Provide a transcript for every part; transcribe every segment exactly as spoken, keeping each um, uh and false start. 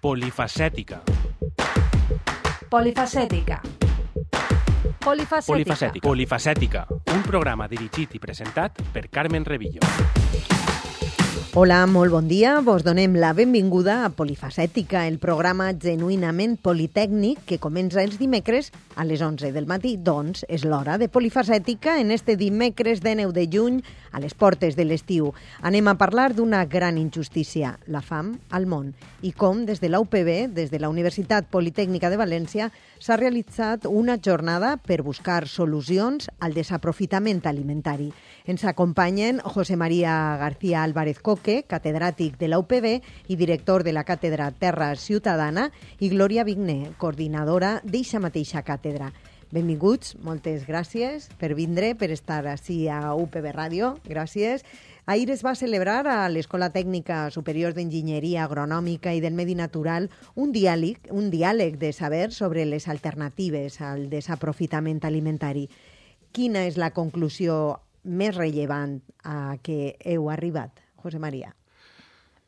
Polifacètica. Polifacètica. Polifacètica. Polifacètica. Polifacètica. Un programa dirigit i presentat per Carmen Revillo. Hola, molt bon dia. Vos donem la benvinguda a Polifacètica, el programa genuïnament politècnic que comença els dimecres a les onze del matí. Doncs és l'hora de Polifacètica en este dimecres deu de juny a les portes de l'estiu. Anem a parlar d'una gran injustícia, la fam al món, i com des de la U P B, des de la Universitat Politècnica de València, s'ha realitzat una jornada per buscar solucions al desaprofitament alimentari. Ens acompanyen José María García Álvarez Coque, catedràtic de la U P B i director de la càtedra Terra Ciutadana, i Glòria Vigné, coordinadora d'eixa mateixa càtedra. Benvinguts, moltes gràcies per vindre, per estar ací a U P B Ràdio. Gràcies. Ahir es va celebrar a l'Escola Tècnica Superior d'Enginyeria Agronòmica i del Medi Natural un diàleg, un diàleg de saber sobre les alternatives al desaprofitament alimentari. Quina és la conclusió més rellevant a què heu arribat, José María?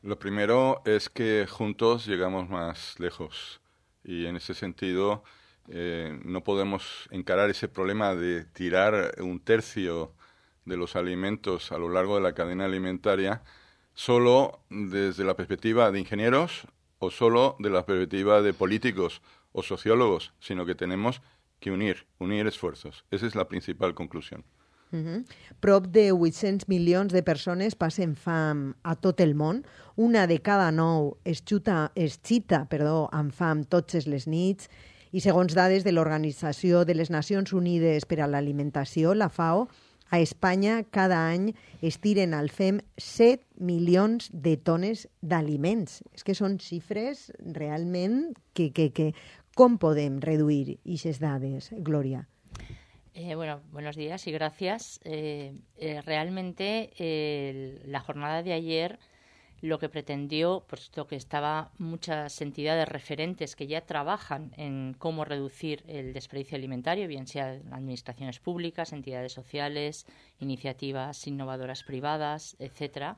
Lo primero es que juntos llegamos más lejos y en ese sentido eh, no podemos encarar ese problema de tirar un tercio de los alimentos a lo largo de la cadena alimentaria solo desde la perspectiva de ingenieros o solo de la perspectiva de políticos o sociólogos, sino que tenemos que unir, unir esfuerzos. Esa es la principal conclusión. Uh-huh. Prop de vuit-cents milions de persones passen fam a tot el món. Una de cada nou es, xuta, es xita perdó, amb fam totes les nits. I segons dades de l'Organització de les Nacions Unides per a l'Alimentació, la FAO, a Espanya cada any es tiren al fem set milions de tones d'aliments. És que són xifres realment que, que, que... Com podem reduir aquestes dades, Glòria? Eh, bueno, buenos días y gracias. Eh, eh, realmente eh, la jornada de ayer lo que pretendió, puesto que estaba muchas entidades referentes que ya trabajan en cómo reducir el desperdicio alimentario, bien sea administraciones públicas, entidades sociales, iniciativas innovadoras privadas, etcétera,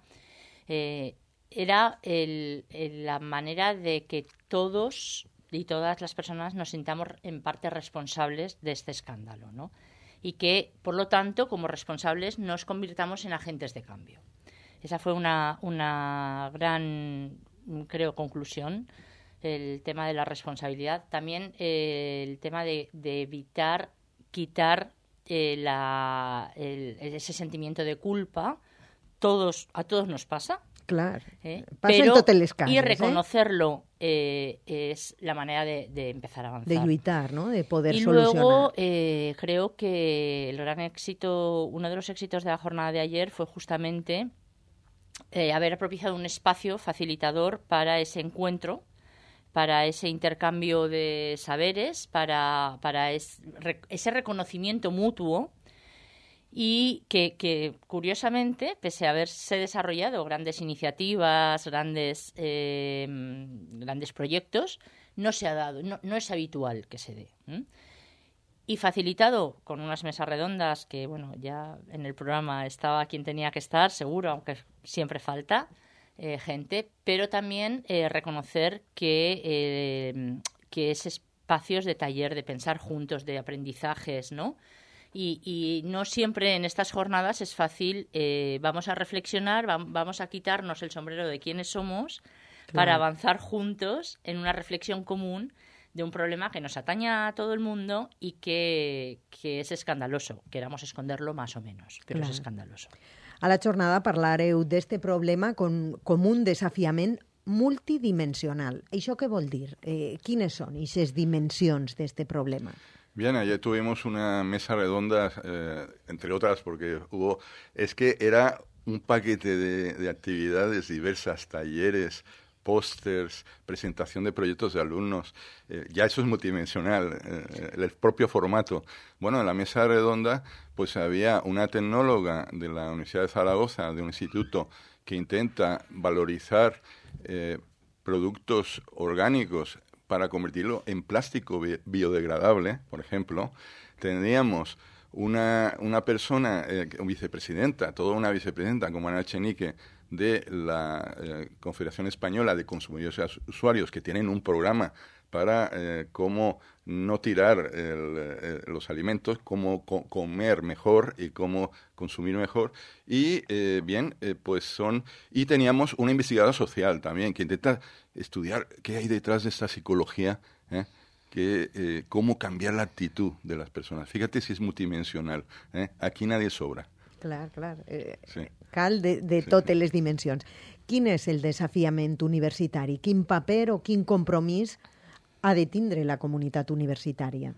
eh, era el, el, la manera de que todos y todas las personas nos sintamos en parte responsables de este escándalo, ¿no? Y que, por lo tanto, como responsables, nos convirtamos en agentes de cambio. Esa fue una, una gran, creo, conclusión, el tema de la responsabilidad. También eh, el tema de, de evitar quitar eh, la, el, ese sentimiento de culpa. Todos, a todos nos pasa. Clar, ¿eh? passa Pero, en totes les cases. Y reconocerlo eh? Eh, es la manera de, de empezar a avanzar. De lluitar, ¿no? De poder y solucionar. Y luego eh, creo que el gran éxito, uno de los éxitos de la jornada de ayer fue justamente eh, haber propiciado un espacio facilitador para ese encuentro, para ese intercambio de saberes, para, para es, re, ese reconocimiento mutuo. Y que, que, curiosamente, pese a haberse desarrollado grandes iniciativas, grandes, eh, grandes proyectos, no se ha dado, no, no es habitual que se dé. ¿eh? Y facilitado con unas mesas redondas que, bueno, ya en el programa estaba quien tenía que estar, seguro, aunque siempre falta eh, gente, pero también eh, reconocer que, eh, que es espacios de taller, de pensar juntos, de aprendizajes, ¿no? Y, y no siempre en estas jornadas es fácil, eh, vamos a reflexionar, va, vamos a quitarnos el sombrero de quiénes somos, claro, para avanzar juntos en una reflexión común de un problema que nos atañe a todo el mundo y que, que es escandaloso. Queramos esconderlo más o menos, pero claro, es escandaloso. A la jornada parlareu d'este problema com, com un desafiament multidimensional. Això què vol dir? Eh, quines són aquestes dimensions d'este problema? Bien, ayer tuvimos una mesa redonda, eh, entre otras, porque hubo, es que era un paquete de, de actividades diversas, talleres, pósters, presentación de proyectos de alumnos. Eh, ya eso es multidimensional, eh, el propio formato. Bueno, en la mesa redonda pues había una tecnóloga de la Universidad de Zaragoza, de un instituto que intenta valorizar eh, productos orgánicos para convertirlo en plástico biodegradable, por ejemplo. Tendríamos una, una persona, eh, vicepresidenta, toda una vicepresidenta como Ana Echenique, de la eh, Confederación Española de Consumidores y Usuarios, que tienen un programa para eh, cómo no tirar el, eh, los alimentos, cómo co- comer mejor y cómo consumir mejor. Y eh, bien, eh, pues son... Y teníamos una investigadora social también que intenta estudiar qué hay detrás de esta psicología, ¿eh? que eh, cómo cambiar la actitud de las personas. Fíjate si és multidimensional. Eh? Aquí nadie sobra. Clar, clar. Eh, Sí. Cal de, de Sí. totes les dimensions. Quin és el desafiament universitari? Quin paper o quin compromís ha de tindre la comunitat universitària?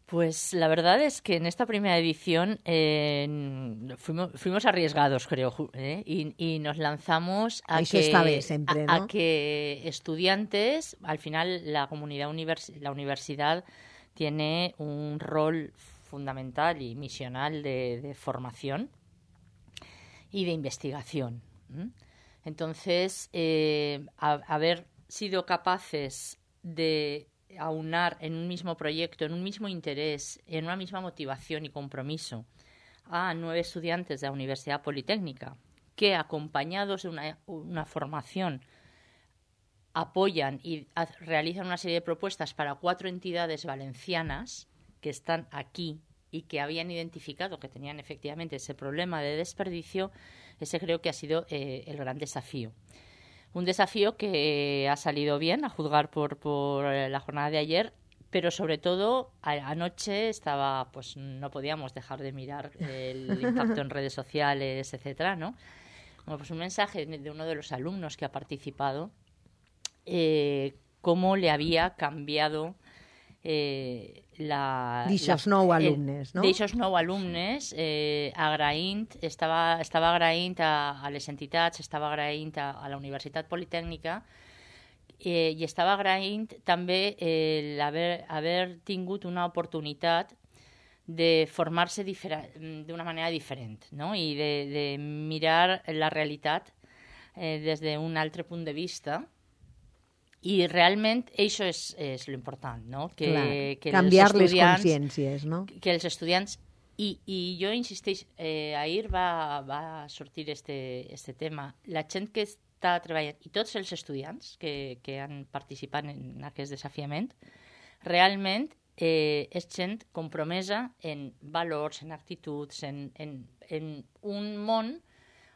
Pues la verdad es que en esta primera edición eh, fuimos, fuimos arriesgados, creo, ju- ¿eh? y, y nos lanzamos a Eso que, está bien siempre, a- ¿no? a que estudiantes, al final la comunidad univers- la universidad tiene un rol fundamental y misional de, de formación y de investigación. ¿m? Entonces, eh, a- haber sido capaces de aunar en un mismo proyecto, en un mismo interés, en una misma motivación y compromiso a nueve estudiantes de la Universidad Politécnica que, acompañados de una, una formación, apoyan y ha- realizan una serie de propuestas para cuatro entidades valencianas que están aquí y que habían identificado que tenían efectivamente ese problema de desperdicio, ese creo que ha sido eh, el gran desafío. Un desafío que ha salido bien, a juzgar por, por la jornada de ayer, pero sobre todo a- anoche estaba, pues no podíamos dejar de mirar el impacto en redes sociales, etcétera, ¿no? Bueno, pues un mensaje de uno de los alumnos que ha participado, eh, cómo le había cambiado eh, la... D'ixos la- nou el- alumnes, no? D'eixos nou alumnes, eh, agraint, estava, estava agraint a, a les entitats, estava agraint a, a la Universitat Politécnica eh, i estava agraint també eh, haver, haver tingut una oportunitat de formar-se d'una manera diferent, no? I de, de mirar la realitat eh, des d'un altre punt de vista. I realment això és, és l'important, no? Que, Clar, que canviar els les estudiants, consciències, no? que els estudiants i, i jo insisteix, eh, ahir va, va sortir este, este tema, la gent que està treballant i tots els estudiants que, que han participat en aquest desafiament realment eh, és gent compromesa en valors, en actituds, en, en, en un món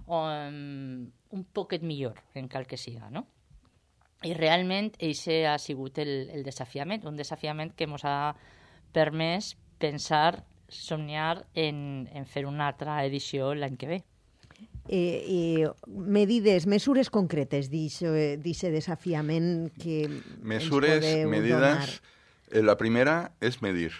um, un poquet millor en cal que siga, no? I realment eixe ha sigut el, el desafiament, un desafiament que ens ha permès pensar, somniar en, en fer una altra edició l'any que ve. Eh, eh, medides, mesures concretes d'aquest desafiament que Mesures, ens podeu medidas. donar. Eh, la primera es medir.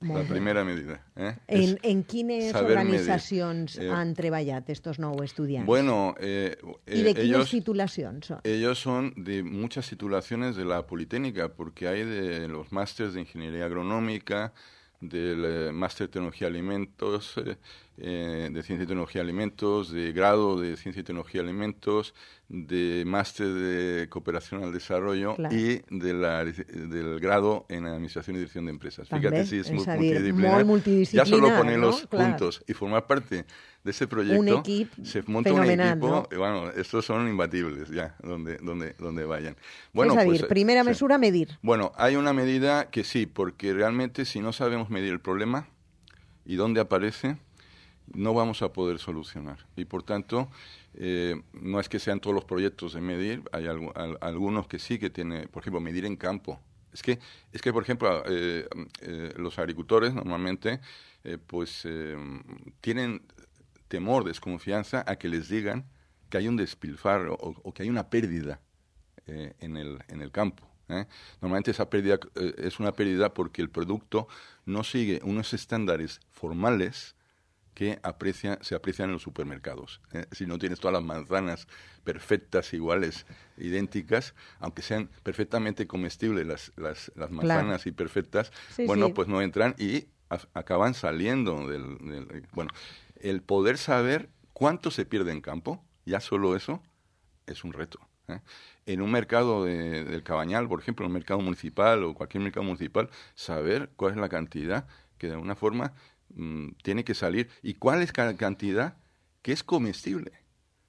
Molt La bé. primera medida. ¿eh? En, Es en quines saber medir. organitzacions Eh, han treballat estos nou estudiants? Bueno, eh, eh, I de quines ellos, titulacions són? ellos son de muchas titulaciones de la Politécnica, porque hay de los másteres de Ingeniería Agronómica, del eh, máster de Tecnología de Alimentos, eh, eh, de Ciencia y Tecnología de Alimentos, de grado de Ciencia y Tecnología de Alimentos, de máster de Cooperación al Desarrollo Claro. y de la, del grado en Administración y Dirección de Empresas. També, Fíjate si es, és mu- a dir, multidisciplinar. molt multidisciplinar, Ya solo ponerlos ¿no? Clar. juntos y formar parte de ese proyecto, Un equip se monta fenomenal, un equipo, ¿no? y bueno, estos son imbatibles ya, donde, donde, donde vayan. Bueno, és a dir, pues, primera sí. mesura, medir. Bueno, hay una medida que sí, porque realmente si no sabemos medir el problema y dónde aparece, no vamos a poder solucionar. Y por tanto, eh, no es que sean todos los proyectos de medir, hay algu- al- algunos que sí que tiene, por ejemplo, medir en campo. Es que, es que por ejemplo, eh, eh, los agricultores normalmente eh, pues eh, tienen temor, desconfianza a que les digan que hay un despilfarro o, o que hay una pérdida eh, en, el, en el campo. ¿eh? Normalmente esa pérdida eh, es una pérdida porque el producto no sigue unos estándares formales que aprecia, se aprecian en los supermercados. ¿eh? Si no tienes todas las manzanas perfectas, iguales, idénticas, aunque sean perfectamente comestibles las, las, las manzanas Claro. y perfectas, Sí, bueno, sí. pues no entran y a- acaban saliendo del, del... Bueno, el poder saber cuánto se pierde en campo, ya solo eso es un reto. ¿eh? En un mercado de, del Cabañal, por ejemplo, en un mercado municipal o cualquier mercado municipal, saber cuál es la cantidad que de alguna forma mm, tiene que salir y cuál es cada cantidad que es comestible.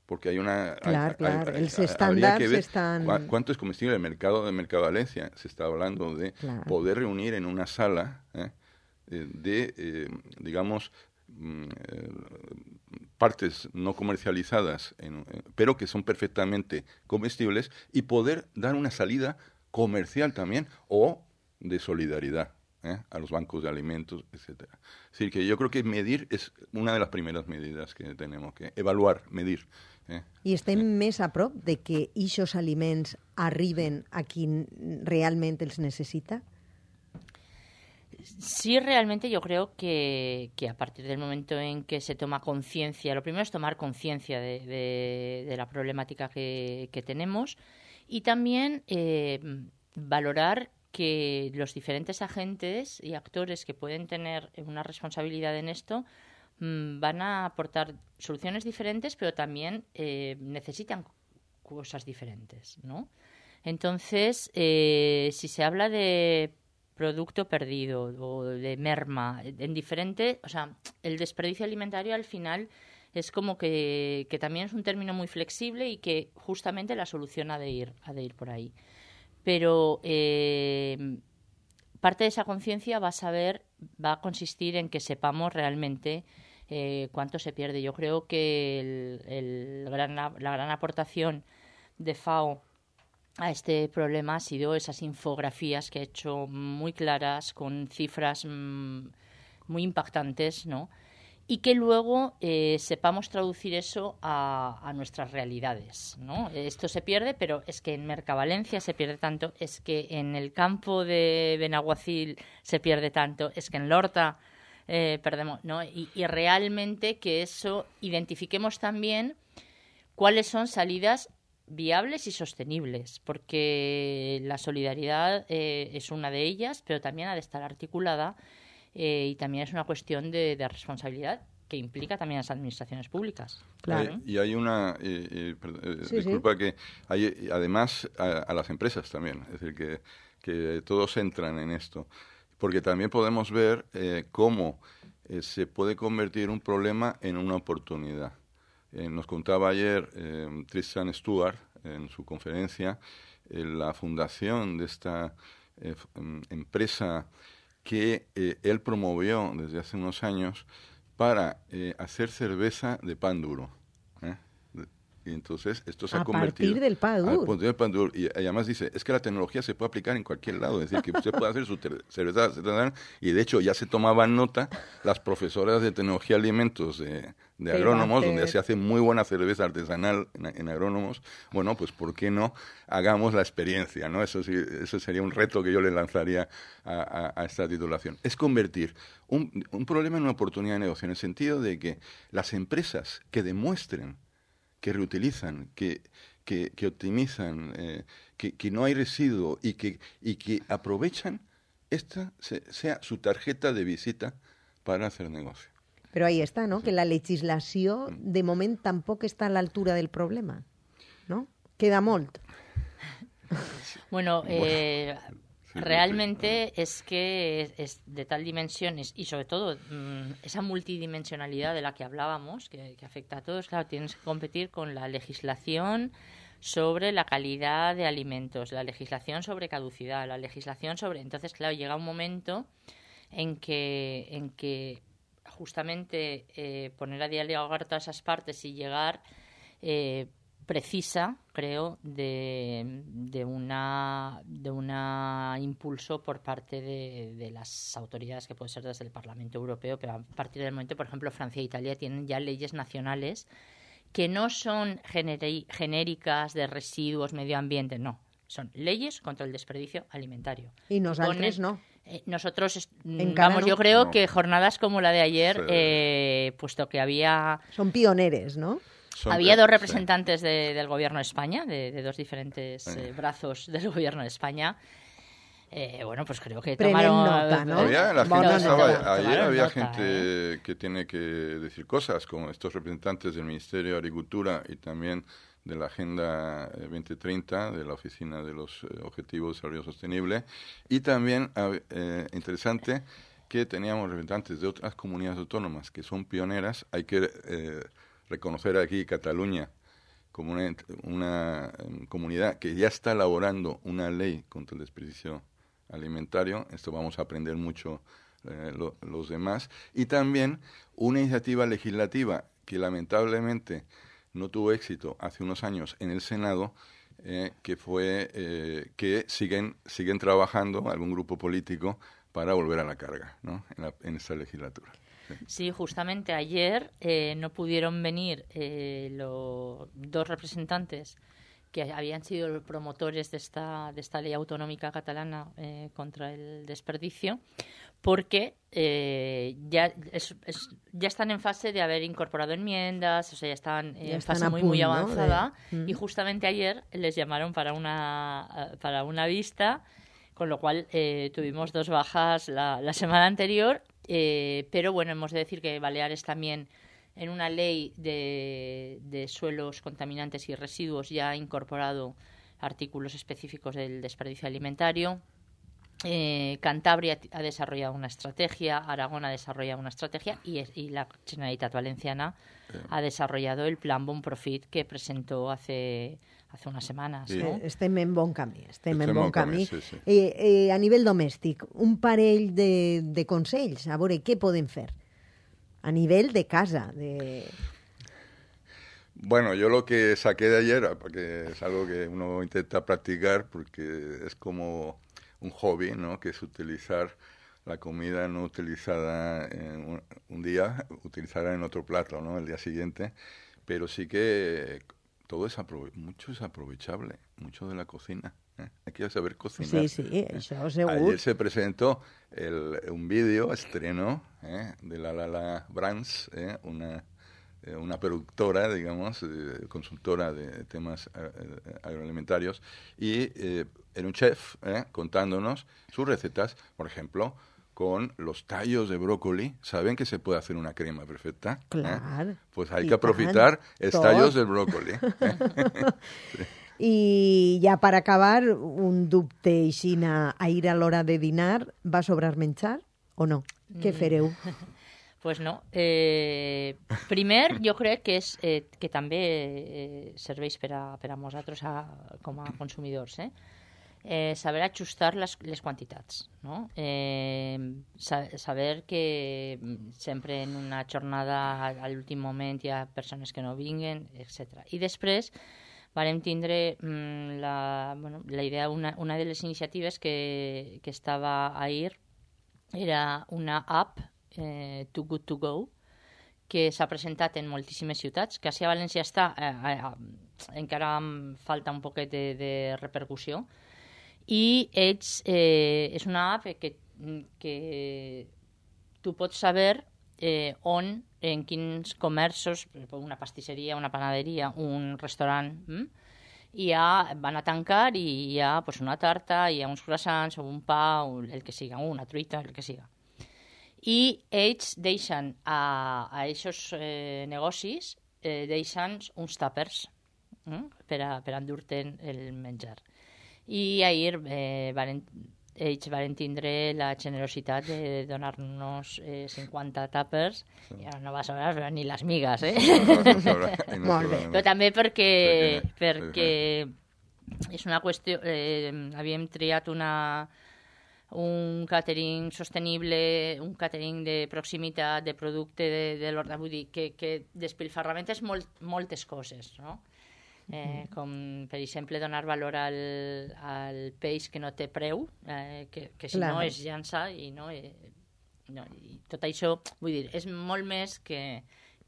porque hay una... Claro, hay, claro, hay, els hay, estàndards que ver estan... cu cuánto es comestible el mercado de Mercavalencia. Se está hablando de claro. poder reunir en una sala ¿eh? de, eh, digamos, eh, partes no comercializadas, en, eh, pero que son perfectamente comestibles, y poder dar una salida comercial también o de solidaridad ¿eh? a los bancos de alimentos, etcétera. Es decir, que yo creo que medir es una de las primeras medidas que tenemos que evaluar, medir. Eh? I estem sí. més a prop de que aquests aliments arriben a qui realment els necessita? Sí, realmente yo creo que, que a partir del momento en que se toma conciencia, lo primero es tomar conciencia de, de, de la problemática que, que tenemos, y también eh, valorar que los diferentes agentes y actores que pueden tener una responsabilidad en esto mmm, van a aportar soluciones diferentes, pero también eh, necesitan cosas diferentes, ¿no? Entonces, eh, si se habla de producto perdido o de merma, en diferente, o sea, el desperdicio alimentario al final es como que, que también es un término muy flexible y que justamente la solución ha de ir, ha de ir por ahí. Pero eh, parte de esa conciencia va a saber, va a consistir en que sepamos realmente eh, cuánto se pierde. Yo creo que el, el gran, la gran aportación de F A O a este problema ha sido esas infografías que ha hecho muy claras, con cifras mmm, muy impactantes, ¿no? Y que luego eh, sepamos traducir eso a, a nuestras realidades, ¿no? Esto se pierde, pero es que en Mercavalencia se pierde tanto, es que en el campo de Benaguacil se pierde tanto, es que en Lorta eh, perdemos, ¿no? Y, y realmente que eso identifiquemos también cuáles son salidas viables y sostenibles, porque la solidaridad eh, es una de ellas, pero también ha de estar articulada eh, y también es una cuestión de, de responsabilidad que implica también a las administraciones públicas. Claro. Hay, y hay una, eh, eh, perdón, eh, sí, disculpa, sí. que hay además a, a las empresas también, es decir, que, que todos entran en esto, porque también podemos ver eh, cómo eh, se puede convertir un problema en una oportunidad. Eh, nos contaba ayer eh, Tristan Stewart en su conferencia eh, la fundación de esta eh, empresa que eh, él promovió desde hace unos años para eh, hacer cerveza de pan duro. ¿eh? Y entonces esto se a ha convertido... partir del pan duro. A partir del pan duro. Y además dice, es que la tecnología se puede aplicar en cualquier lado. Es decir, que usted puede hacer su cerveza artesanal. Y de hecho ya se tomaban nota las profesoras de tecnología de alimentos de, de agrónomos, donde se hace muy buena cerveza artesanal en, en agrónomos. Bueno, pues ¿por qué no hagamos la experiencia? ¿no? Eso, sí, eso sería un reto que yo le lanzaría a, a, a esta titulación. Es convertir un, un problema en una oportunidad de negocio, en el sentido de que las empresas que demuestren que reutilizan, que, que, que optimizan, eh, que, que no hay residuo y que, y que aprovechan, esta se, sea su tarjeta de visita para hacer negocio. Però ahí està, no? Sí. Que la legislació, de moment, tampoc està a l'altura del problema, no? Queda molt. Bueno, eh... realmente es que es de tal dimensión y sobre todo esa multidimensionalidad de la que hablábamos, que, que afecta a todos, claro, tienes que competir con la legislación sobre la calidad de alimentos, la legislación sobre caducidad, la legislación sobre... Entonces, claro, llega un momento en que, en que justamente eh, poner a dialogar todas esas partes y llegar... Eh, precisa, creo, de, de una de una impulso por parte de, de las autoridades, que puede ser desde el Parlamento Europeo, pero a partir del momento, por ejemplo, Francia e Italia tienen ya leyes nacionales que no son generi- genéricas de residuos, medio ambiente, no, son leyes contra el desperdicio alimentario. Y nosaltres Ponen, no. Eh, nosotros, Encara vamos, no. yo creo No. que jornadas como la de ayer, Sí. eh, puesto que había... Són pioneres, no? Son, Había dos sí. representantes de, del Gobierno de España, de, de dos diferentes eh, brazos del Gobierno de España. Eh, bueno, pues creo que Prenen tomaron... nota, ¿no? Había, la gente Bona estaba, nota. ayer Tomaron había nota, gente ¿eh? que tiene que decir cosas, como estos representantes del Ministerio de Agricultura y también de la Agenda veinte treinta, de la Oficina de los eh, Objetivos de Desarrollo Sostenible, y también, eh, interesante, que teníamos representantes de otras comunidades autónomas que son pioneras. Hay que eh, reconocer aquí Cataluña, como una, una um, comunidad que ya está elaborando una ley contra el desperdicio alimentario. Esto vamos a aprender mucho eh, lo, los demás. Y también una iniciativa legislativa que lamentablemente no tuvo éxito hace unos años en el Senado, eh, que fue eh, que siguen siguen trabajando algún grupo político para volver a la carga, ¿no? en, la, en esta legislatura. Sí, sí, justamente ayer eh, no pudieron venir eh, los dos representantes que habían sido los promotores de esta, de esta ley autonómica catalana eh, contra el desperdicio, porque eh, ya, es, es, ya están en fase de haber incorporado enmiendas, o sea, ya están eh, ya en están fase muy, punto, muy avanzada, ¿no? De... y justamente ayer les llamaron para una, para una vista, con lo cual eh, tuvimos dos bajas la, la semana anterior, eh, pero bueno, hemos de decir que Baleares también, en una ley de, de suelos contaminantes y residuos, ya ha incorporado artículos específicos del desperdicio alimentario. Eh, Cantabria ha desarrollado una estrategia, Aragón ha desarrollado una estrategia y, es, y la Generalitat Valenciana sí. ha desarrollado el Plan Bon Profit que presentó hace, hace unas semanas. Sí. ¿no? Estem en bon camí. Estem, estem en bon camí. camí sí, sí. Eh, eh, a nivell domèstic, un parell de, de consells, a veure què podem fer a nivel de casa. De... Bueno, yo lo que saqué de ayer, porque es algo que uno intenta practicar, porque es como un hobby, ¿no? Que es utilizar la comida no utilizada en un, un día, utilizarla en otro plato, ¿no? El día siguiente, pero sí que todo es aprove- mucho es aprovechable, mucho de la cocina. ¿eh? Hay que saber cocinar. Sí, sí, eso seguro. Ayer se presentó el, un vídeo estreno ¿eh? de la Lala Brands, ¿eh? una una productora, digamos, eh, consultora de temas eh, agroalimentarios, y eh, era un chef eh, contándonos sus recetas, por ejemplo, con los tallos de brócoli. ¿Saben que se puede hacer una crema perfecta? Claro. ¿Eh? Pues hay que aprovechar els tallos del brócoli. ¿eh? sí. I ja per acabar, un dubte aixina, a ir a l'hora de dinar, va sobrar menjar o no? Què fareu? Pues no. Eh, primer, jo crec que és eh, que també eh, serveix per a, per a nosaltres a, com a consumidors, eh? Eh, saber ajustar les, les quantitats, no? Eh, sa, saber que sempre en una jornada a l'últim moment hi ha persones que no vinguen, etcètera. I després vam tindre mm, la, bueno, la idea, una, una de les iniciatives que, que estava ahir era una app Eh, Too Good To Go, que s'ha presentat en moltíssimes ciutats, que a València està, eh, eh, encara falta un poquet de, de repercussió, i ells, eh, és una app que, que tu pots saber eh, on, en quins comerços, una pastisseria, una panaderia, un restaurant, hm? i ha, van a tancar i hi ha pues, una tarta, hi ha uns croissants o un pa, o el que siga, una truita, el que siga. I ells deixen a, a aquests eh, negocis eh, deixen uns tàpers eh, per, a, per endur-te'n el menjar. I ahir eh, varen, ells van tindre la generositat de donar-nos eh, cinquanta tàpers, sí. I ara no va sobrar però ni les migues, eh? No, no sobra, no Molt bé. Però també perquè, perquè és una qüestió... Eh, havíem triat una... un catering sostenible, un catering de proximitat, de producte de, de l'horta, vull dir, que, que despilfarrament és molt, moltes coses, no? Eh, com, per exemple, donar valor al, al peix que no té preu, eh, que, que si Clar. no és llança, i, no, eh, no, i tot això, vull dir, és molt més que,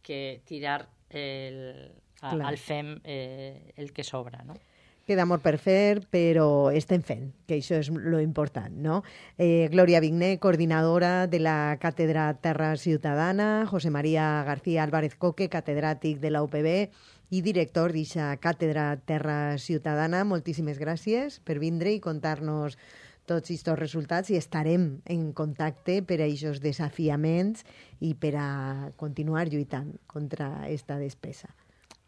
que tirar el, a, al fem eh, el que sobra, no? Queda molt per fer, però estem fent, que això és lo important, no? Eh, Glòria Vigné, coordinadora de la Càtedra Terra Ciutadana, José María García Álvarez Coque, catedràtic de la U P B i director d'aquesta Càtedra Terra Ciutadana. Moltíssimes gràcies per vindre i contar-nos tots aquests resultats i estarem en contacte per a aquests desafiaments i per a continuar lluitant contra aquesta despesa.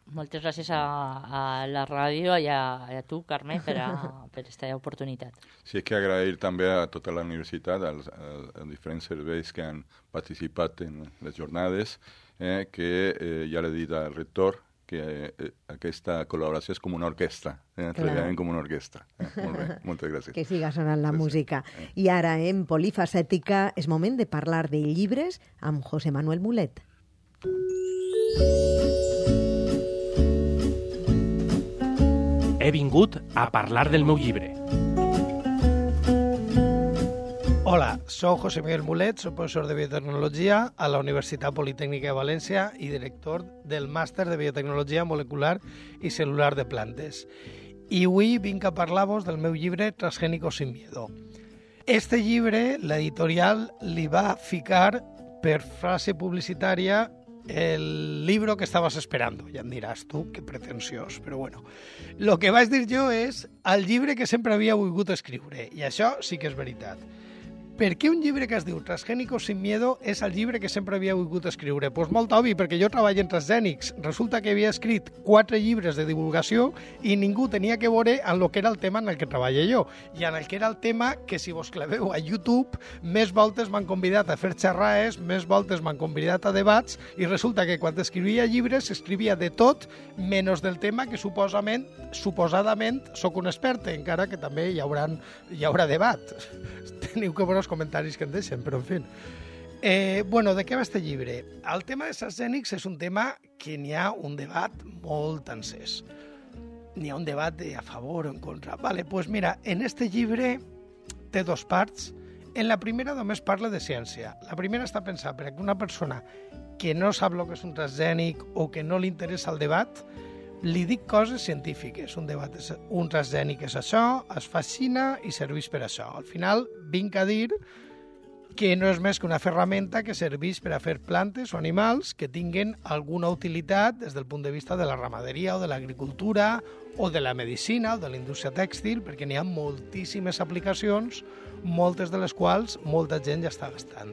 Moltes gràcies a, a la ràdio i a, a tu, Carme, per, a, per aquesta oportunitat. Sí, és que agrair també a tota la universitat, als, als diferents serveis que han participat en les jornades, eh, que eh, ja l'he dit al rector, que eh, aquesta col·laboració és com una orquestra, eh? treballarem com una orquestra. Eh? Molt bé, moltes gràcies. Que siga sonant la Gràcies. música. I ara, en Polifacètica, és moment de parlar de llibres amb José Manuel Mulet. He vingut a parlar del meu llibre. Hola, soc José Miguel Mulet, soc professor de biotecnologia a la Universitat Politècnica de València i director del màster de biotecnologia molecular i celular de plantes. I avui vinc a parlar-vos del meu llibre Transgénicos sin miedo. Este llibre, l'editorial li va ficar per frase publicitària el libro que estabas esperando. Ja em diràs tu, que pretensiós, però bueno. Lo que vaig dir jo és el llibre que sempre havia volgut escriure, i això sí que és veritat. Per què un llibre que es diu Transgénicos sin miedo és el llibre que sempre havia volgut escriure? Doncs pues molt obvi, perquè jo treballo en transgènics. Resulta que havia escrit quatre llibres de divulgació i ningú tenia que veure en el que era el tema en el que treballo jo. I en el que era el tema que, si vos claveu a YouTube, més voltes m'han convidat a fer xerraes, més voltes m'han convidat a debats, i resulta que quan escrivia llibres escrivia de tot, menys del tema que suposadament, suposadament soc un expert, encara que també hi haurà, hi haurà debat. Teniu que veure els comentaris que em deixen, però en fi. Eh, bueno, de què va este llibre? El tema de transgènics és un tema que n'hi ha un debat molt encès. N'hi ha un debat de a favor o en contra. Vale, pues mira, en este llibre té dos parts. En la primera només parla de ciència. La primera està pensada per a que una persona que no sap el que és un transgènic o que no li interessa el debat, li dic coses científiques. Un debat és, un transgènic és això, es fascina i serveix per això. Al final vinc a dir que no és més que una ferramenta que serveix per a fer plantes o animals que tinguen alguna utilitat des del punt de vista de la ramaderia o de l'agricultura o de la medicina o de la indústria tèxtil, perquè n'hi ha moltíssimes aplicacions, moltes de les quals molta gent ja està gastant.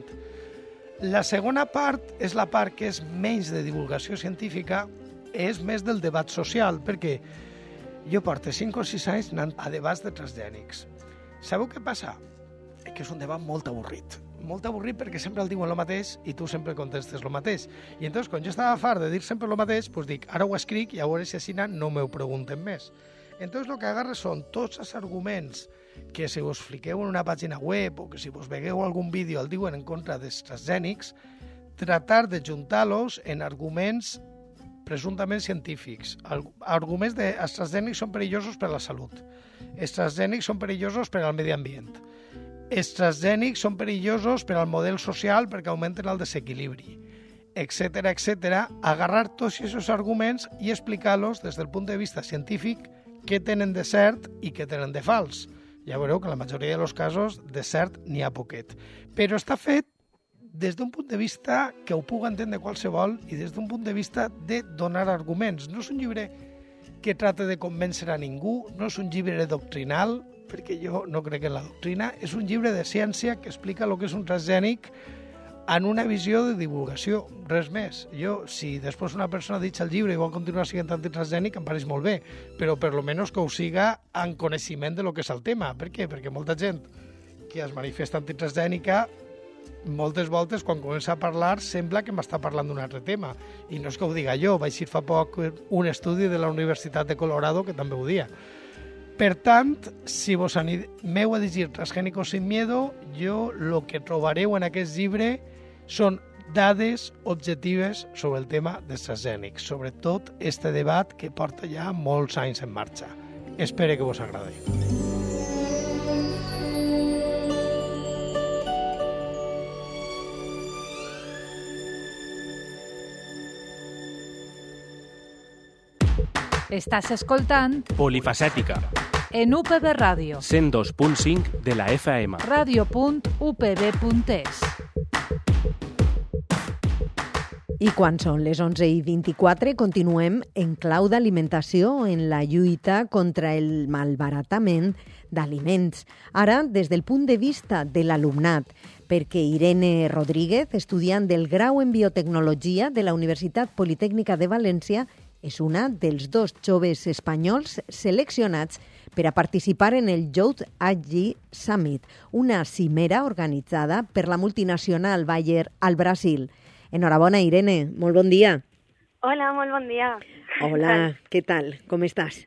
La segona part és la part que és menys de divulgació científica, és més del debat social, perquè jo porto cinc o sis anys anant a debats de transgènics. Sabeu què passa? Que és un debat molt avorrit. Molt avorrit perquè sempre el diuen el mateix i tu sempre contestes el mateix. I entonces, quan jo estava fart de dir sempre el mateix, doncs dic, ara ho escric i a veure si així no m'ho pregunten més. Entonces, el que agarres són tots els arguments que si vos fiqueu en una pàgina web o que si vos vegueu algun vídeo el diuen en contra dels transgènics, tratar de juntar-los en arguments presumptament científics. Arguments de els transgènics són perillosos per a la salut. Els transgènics són perillosos per al medi ambient. Els transgènics són perillosos per al model social perquè augmenten el desequilibri, etcètera, etcètera. Agarrar tots aquests arguments i explicar-los des del punt de vista científic què tenen de cert i què tenen de fals. Ja veureu que en la majoria dels casos de cert n'hi ha poquet. Però està fet des d'un punt de vista que ho puc entendre qualsevol i des d'un punt de vista de donar arguments. No és un llibre que trata de convèncer a ningú, no és un llibre doctrinal, perquè jo no crec en la doctrina, és un llibre de ciència que explica el que és un transgènic en una visió de divulgació, res més. Jo, si després una persona ha dit el llibre i vol continuar sent antitransgènic, em pareix molt bé, però per lo menos que ho siga en coneixement de lo que és el tema. Per què? Perquè molta gent que es manifesta antitransgènica moltes voltes, quan comença a parlar, sembla que m'està parlant d'un altre tema. I no és que ho diga jo, vaig ir fa poc un estudi de la Universitat de Colorado que també ho dia. Per tant, si vos aneu a llegir Transgénicos sin miedo, jo el que trobareu en aquest llibre són dades objectives sobre el tema dels transgènics, sobretot este debat que porta ja molts anys en marxa. Espero que vos agradi. Estàs escoltant Polifacètica, en U P B Ràdio, cent dos punt cinc de la F M. ràdio punt u p b punt e s. I quan són les onze i vint-i-quatre continuem en clau d'alimentació en la lluita contra el malbaratament d'aliments. Ara, des del punt de vista de l'alumnat, perquè Irene Rodríguez, estudiant del grau en biotecnologia de la Universitat Politècnica de València, és una dels dos joves espanyols seleccionats per a participar en el Youth Agi Summit, una cimera organitzada per la multinacional Bayer al Brasil. Enhorabona, Irene. Molt bon dia. Hola, molt bon dia. Hola, què tal? Com estàs?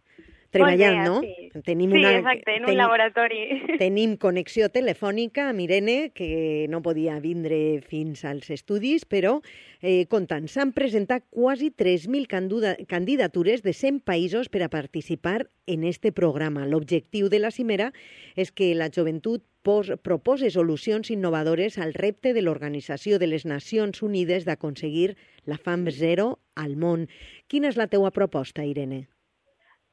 Treballant, no? Sí, Tenim sí una, exacte, en un ten, laboratori. Tenim connexió telefònica amb Irene, que no podia vindre fins als estudis, però eh, comptant, s'han presentat quasi tres mil candidatures de cent països per a participar en este programa. L'objectiu de la cimera és que la joventut pos, propose solucions innovadores al repte de l'Organització de les Nacions Unides d'aconseguir la fam zero al món. Quina és la teua proposta, Irene?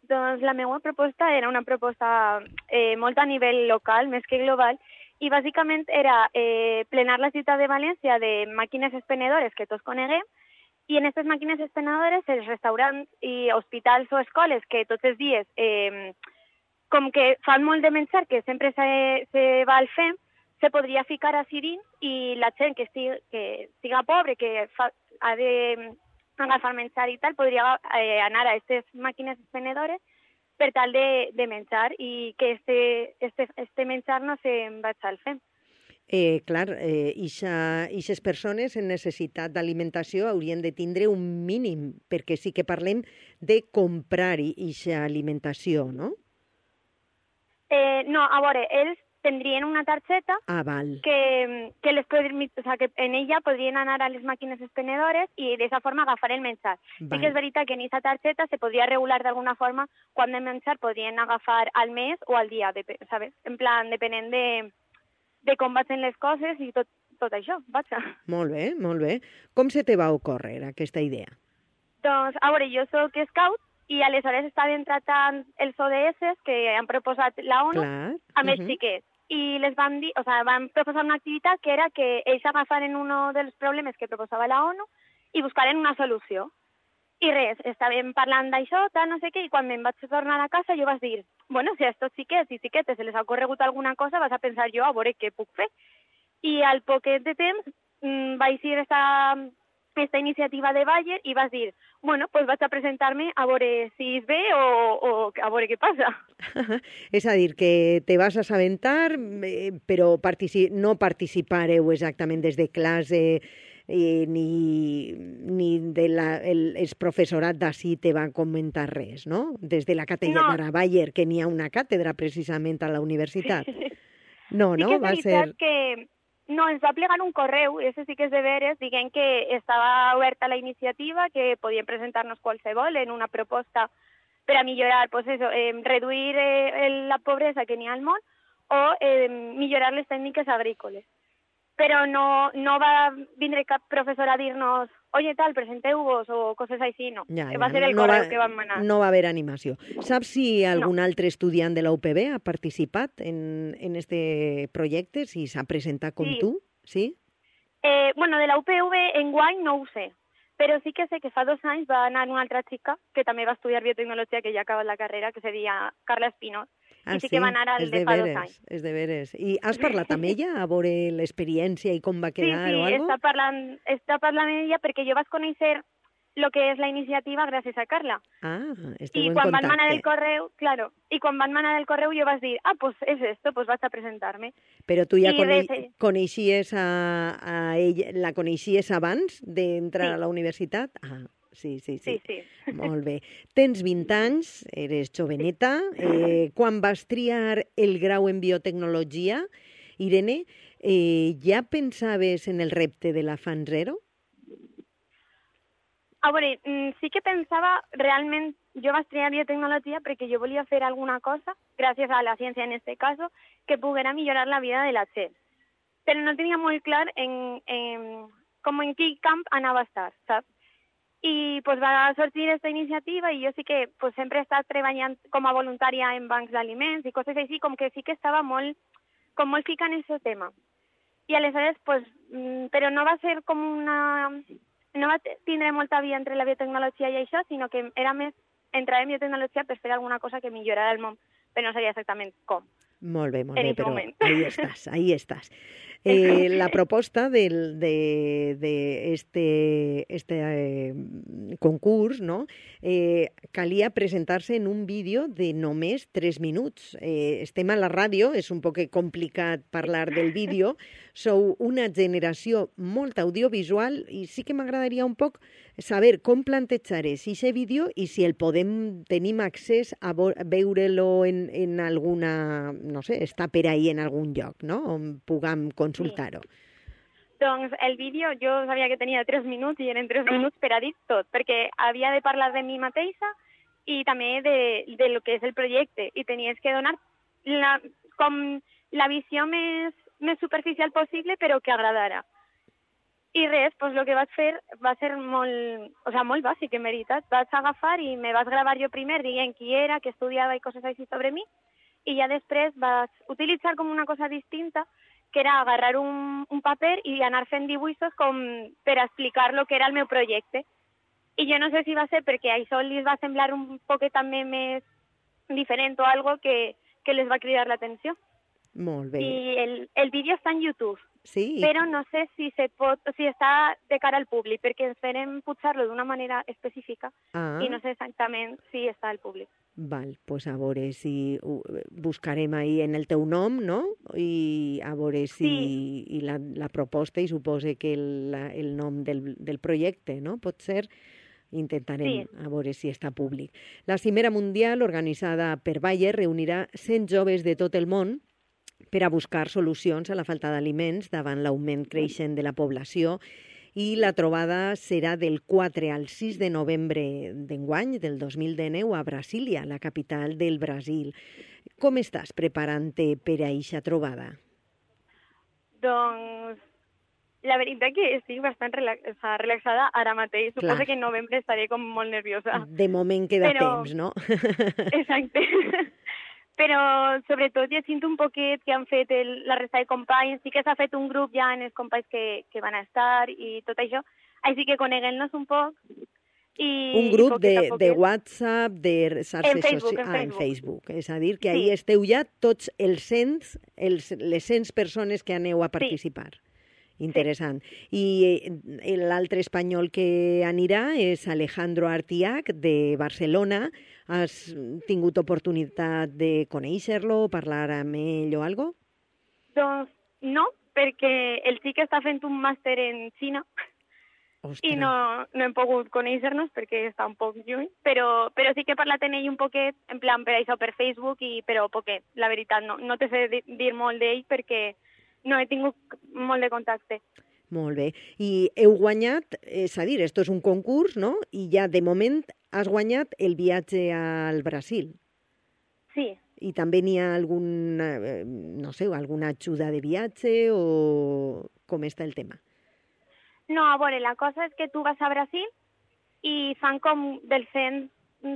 Doncs la meva proposta era una proposta eh, molt a nivell local, més que global, i bàsicament era eh, plenar la ciutat de València de màquines expenedores que tots coneguem, i en aquestes màquines expenedores els restaurants i hospitals o escoles que tots els dies, eh, com que fan molt de menjar, que sempre se, se va al fem, se podria ficar així dins i la gent que estigui, que siga pobre, que fa, ha de agafar menjar i tal, podria eh, anar a aquestes màquines expenedores per tal de, de menjar i que este, este, este menjar no se'n vagi al fem. Eh, clar, eh, ixes persones en necessitat d'alimentació haurien de tindre un mínim, perquè sí que parlem de comprar ixa alimentació, no? Eh, no, a veure, ells tindrien una targeta ah, val. que, que, les podrien, o sea, que en ella podrien anar a les màquines expenedores i d'aquesta forma agafar el menjar. Val. Sí que és veritat que en aquesta targeta se podria regular d'alguna forma quan de menjar podrien agafar al mes o al dia, ¿sabes? En plan, depenent de, de com vagin les coses i tot, tot això, vaja. Molt bé, molt bé. Com se te va ocórrer aquesta idea? Doncs, a veure, jo soc scout i aleshores estaven tratant els O D S que han proposat la ONU Clar. amb els uh -huh. xiquets. I les van dir, o sea, van proposar una activitat que era que ells agafaren un dels problemes que proposava la ONU i buscaren una solució. I res, estàvem parlant d'això, tal, no sé què, i quan me'n vaig tornar a casa jo vaig dir, bueno, si a estos xiquets i xiquetes se les ha ocorregut alguna cosa, vas a pensar jo a veure què puc fer. I al poquet de temps mmm, vaig ir esta, esta iniciativa de Bayer i vas dir, bueno, pues vaig a presentar-me a veure si es ve o, o a veure què passa. És a dir, que te vas assabentar, eh, però partici no participareu exactament des de classe eh, ni, ni de la, el, el professorat d'ací te va comentar res, no? Des de la càtedra no. Bayer, que n'hi ha una càtedra precisament a la universitat. No, sí no? que és va veritat ser... que... No, ens va plegar un correu, i això sí que és de veres, dient que estava oberta la iniciativa, que podien presentar-nos qualsevol en una proposta per a millorar, pues eso, eh, reduir eh, la pobresa que n'hi ha al món o eh, millorar les tècniques agrícoles. Però no, no va vindre cap professor a dir-nos oye, tal, presenteu-vos o coses així, no. Ja, ja. Va ser el no correu va, que vam manar. No va haver animació. Saps si algun no. altre estudiant de la U P B ha participat en, en este projecte, si s'ha presentat com sí. tu? Sí? Eh, bueno, de la U P V enguany no ho sé, però sí que sé que fa dos anys va anar una altra xica que també va estudiar biotecnologia, que ja ha acabat la carrera, que se deia Carla Espinós, ah, i sí, sí que va anar al de, de fa veres, dos anys. És de veres. I has parlat amb ella a veure l'experiència i com va quedar sí, sí, o alguna cosa? Sí, està parlant, està parlant amb ella perquè jo vaig conèixer lo que és la iniciativa gràcies a Carla. Ah, esteu I en quan contacte. van manar el correu, claro, i quan van manar el correu jo vaig dir, ah, pues és esto, pues vaig a presentar-me. Però tu ja I cone res, coneixies a, a ella, la coneixies abans d'entrar sí. a la universitat? Ah, sí, sí, sí. Sí, sí. Molt bé. Tens vint anys, eres joveneta. Eh, quan vas triar el grau en biotecnologia, Irene, eh, ja pensaves en el repte de la Fan Zero? A veure, sí que pensava realment, jo vaig triar biotecnologia perquè jo volia fer alguna cosa, gràcies a la ciència en este caso, que poguera millorar la vida de la gent. Però no tenia molt clar en, en, com en quin camp anava a estar, saps? I pues, va sortir aquesta iniciativa i jo sí que pues, sempre he estat treballant com a voluntària en bancs d'aliments i coses així, com que sí que estava molt, com molt fica en aquest tema. I aleshores, pues, però no va ser com una... No va tindre molta via entre la biotecnologia i això, sinó que era més entrar en biotecnologia per fer alguna cosa que millorara el món, però no sabia exactament com. Molt bé, molt bé, però ahí estàs, ahí estàs. Eh, la proposta del, de, de este, este eh, concurs, no? eh, calia presentar-se en un vídeo de només tres minuts. Eh, estem a la ràdio, és un poc complicat parlar del vídeo, sou una generació molt audiovisual i sí que m'agradaria un poc saber com plantejar és aquest vídeo i si el podem, tenim accés a veure-lo en, en alguna, no sé, està per ahí en algun lloc, no? On puguem consultar-ho. Sí. Doncs el vídeo jo sabia que tenia tres minuts i eren tres minuts per a dir tot, perquè havia de parlar de mi mateixa i també de, de lo que és el projecte i tenies que donar la, com la visió més, més superficial possible però que agradara. I res, doncs el que vaig fer va ser molt, o sea, molt bàsic, en veritat. Vaig agafar i me vaig gravar jo primer dient qui era, què estudiava i coses així sobre mi, i ja després vaig utilitzar com una cosa distinta, que era agarrar un, un paper i anar fent dibuixos com per explicar lo que era el meu projecte. I jo no sé si va ser perquè això li va semblar un poquet també més diferent o algo que, que les va cridar l'atenció. Molt bé. I el, el vídeo està en YouTube. Sí. Però no sé si se pot, o si està de cara al públic, perquè ens farem pujar-lo d'una manera específica ah. i no sé exactament si està al públic. Val, pues a veure si buscarem ahí en el teu nom, no? I a veure si sí. i la, la proposta, i supose que el, la, el nom del, del projecte, no? Pot ser, intentarem sí. a veure si està públic. La Cimera Mundial, organitzada per Bayer, reunirà cent joves de tot el món per a buscar solucions a la falta d'aliments davant l'augment creixent de la població i la trobada serà del quatre al sis de novembre d'enguany, del dos mil dinou, a Brasília, la capital del Brasil. Com estàs preparant-te per a eixa trobada? Doncs la veritat que estic bastant relax o sea, relaxada ara mateix. Clar. Suposo que en novembre estaré com molt nerviosa. De moment queda Però... temps, no? Exacte. Però sobretot llegint un poquet que han fet el, la resta de companys, sí que s'ha fet un grup ja en els companys que, que van estar i tot això, així que coneguem-nos un poc. I, un grup i de, de WhatsApp, de xarxes socials... En ah, en Facebook. És a dir, que sí. ahí esteu ja tots els cents, els, les cent persones que aneu a participar. Sí. Interessant. Sí. I l'altre espanyol que anirà és Alejandro Artiach, de Barcelona. Has tingut oportunitat de conèixer-lo, parlar amb ell o algo? Doncs no, perquè el xic està fent un màster en Xina. Ostres. I no, no hem pogut conèixer-nos perquè està un poc lluny, però, però sí que he parlat amb ell un poquet, en plan per això, per Facebook, i, però poquet. La veritat, no, no te sé dir molt d'ell perquè no he tingut molt de contacte. Molt bé. I heu guanyat, és a dir, esto és un concurs, no? I ja de moment has guanyat el viatge al Brasil. Sí. I també n'hi ha algun, no sé, alguna ajuda de viatge o com està el tema? No, a veure, la cosa és que tu vas a Brasil i fan com dels cent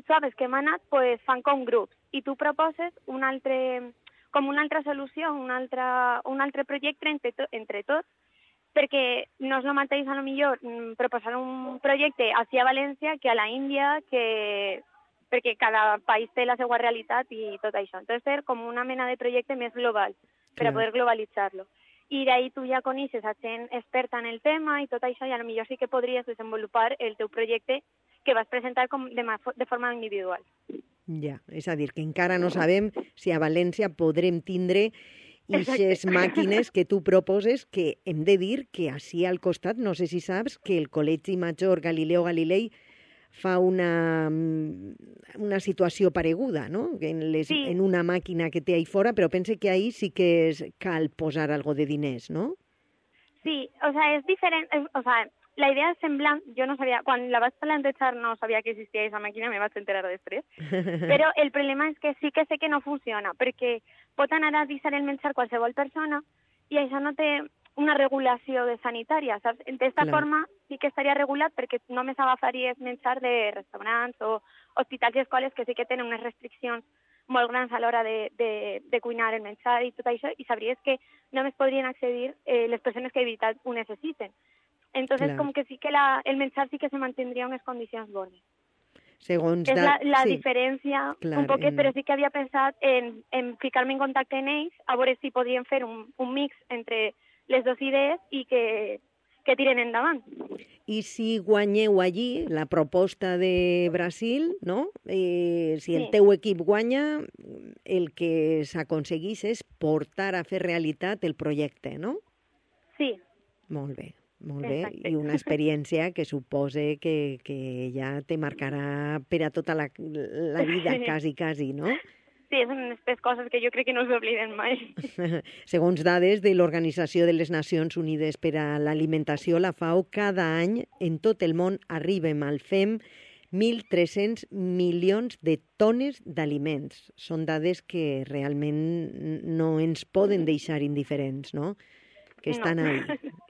joves que hem anat, pues fan com grups. I tu proposes un altre, com una altra solució, un altre, un altre projecte entre, to, entre tots, perquè no és el mateix, a lo millor, proposar un projecte així a València que a la Índia, que... perquè cada país té la seva realitat i tot això. Entonces, ser com una mena de projecte més global, per a poder globalitzar-lo. I d'ahí tu ja coneixes a gent experta en el tema i tot això, i a lo millor sí que podries desenvolupar el teu projecte que vas presentar com de, de forma individual. Ja, és a dir, que encara no sabem si a València podrem tindre ixes màquines que tu proposes, que hem de dir que així al costat, no sé si saps, que el Col·legi Major Galileo Galilei fa una, una situació pareguda, no? En, les, sí. en una màquina que té ahí fora, però pense que ahí sí que es, cal posar algo de diners, no? Sí, o sea, és diferent, o sea, la idea és semblant, jo no sabia, quan la vaig plantejar no sabia que existia aquesta màquina, me vaig enterar després, però el problema és que sí que sé que no funciona, perquè pot anar a deixar el menjar qualsevol persona i això no té una regulació de sanitària, saps? D'esta forma sí que estaria regulat perquè només agafaries menjar de restaurants o hospitals i escoles que sí que tenen unes restriccions molt grans a l'hora de, de, de cuinar el menjar i tot això, i sabries que només podrien accedir eh, les persones que de veritat ho necessiten. Entonces, clar. Com que sí que la, el menjar sí que se mantindria en unes condicions bones. Segons és la, la sí. diferència clar, un poquet, en... però sí que havia pensat en, en ficar-me en contacte amb ells, a veure si podríem fer un, un mix entre les dues idees i que, que tiren endavant. I si guanyeu allí la proposta de Brasil, no? Eh, si el Sí. teu equip guanya, el que s'aconseguís és portar a fer realitat el projecte, no? Sí, Molt bé, molt bé. Exacte. I una experiència que supose que, que ja te marcarà per a tota la, la vida, quasi, quasi, no? sí, són aquestes coses que jo crec que no s'obliden mai. Segons dades de l'Organització de les Nacions Unides per a l'Alimentació, la FAO, cada any en tot el món arribem al FEM mil tres-cents milions de tones d'aliments. Són dades que realment no ens poden deixar indiferents, no? Que estan No. ahí,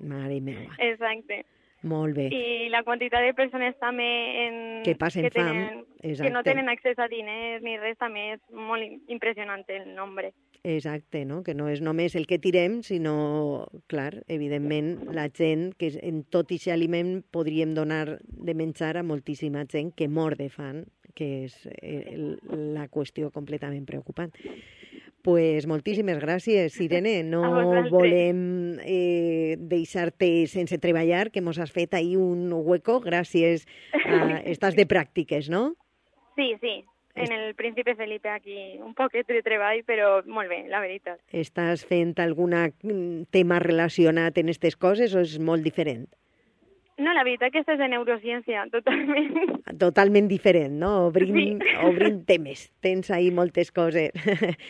mare meva. Exacte. Molt bé. I la quantitat de persones també en... Que passen que fam, tenen, exacte. que no tenen accés a diners ni res, també és molt im- impressionant el nombre. Exacte, no? Que no és només el que tirem, sinó, clar, evidentment, la gent, que en tot aquest aliment podríem donar de menjar a moltíssima gent que mor de fam, que és eh, la qüestió completament preocupant. Pues moltíssimes gràcies, Irene. A No vosaltres. volem eh, deixar-te sense treballar, que mos has fet ahir un hueco gràcies a... Estàs de pràctiques, no? Sí, sí. En el Príncipe Felipe aquí un poquet de treball, però molt bé, la veritat. Estàs fent algun tema relacionat en aquestes coses o és molt diferent? No, la veritat que estàs de neurociència, totalment. Totalment diferent, no? Obrint, Sí. obrint temes. Tens ahí moltes coses.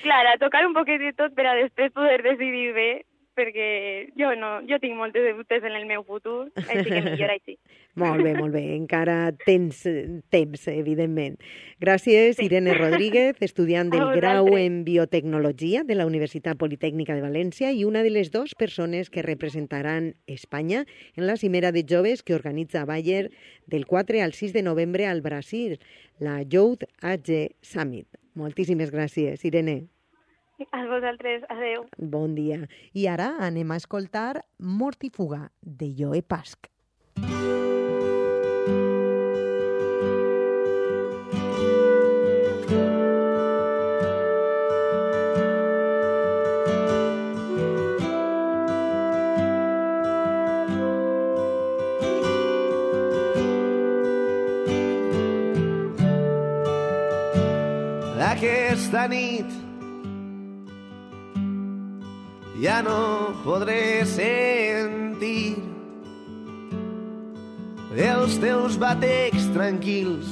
Clar, a tocar un poquet de tot per a després poder decidir bé, perquè jo no, jo tinc moltes dubtes en el meu futur, així que millor així. Molt bé, molt bé. Encara tens eh, temps, evidentment. Gràcies, Sí. Irene Rodríguez, estudiant A del vosaltres. grau en Biotecnologia de la Universitat Politècnica de València i una de les dues persones que representaran Espanya en la cimera de joves que organitza Bayer del quatre al sis de novembre al Brasil, la Youth Age Summit. Moltíssimes gràcies, Irene. A vosaltres, adeu. Bon dia. I ara anem a escoltar Mortifuga, de Joe Pasch. Aquesta nit ja no podré sentir els teus batecs tranquils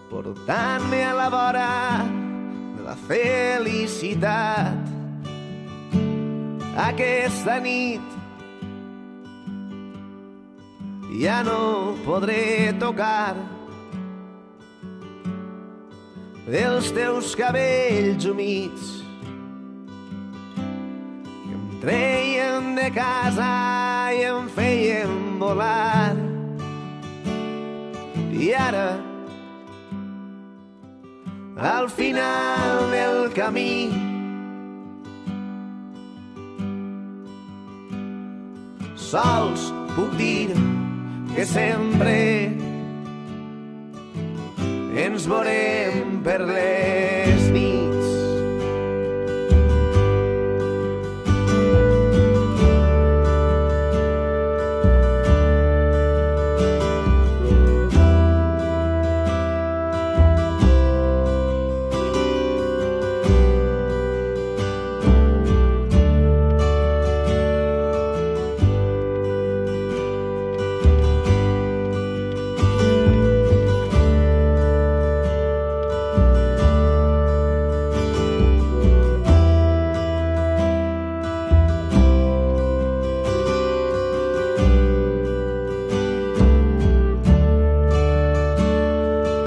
portant-me a la vora de la felicitat. Aquesta nit ja no podré tocar els teus cabells humits que em treien de casa i em feien volar. I ara, al final del camí, sols puc dir que sempre ens veurem per les nits.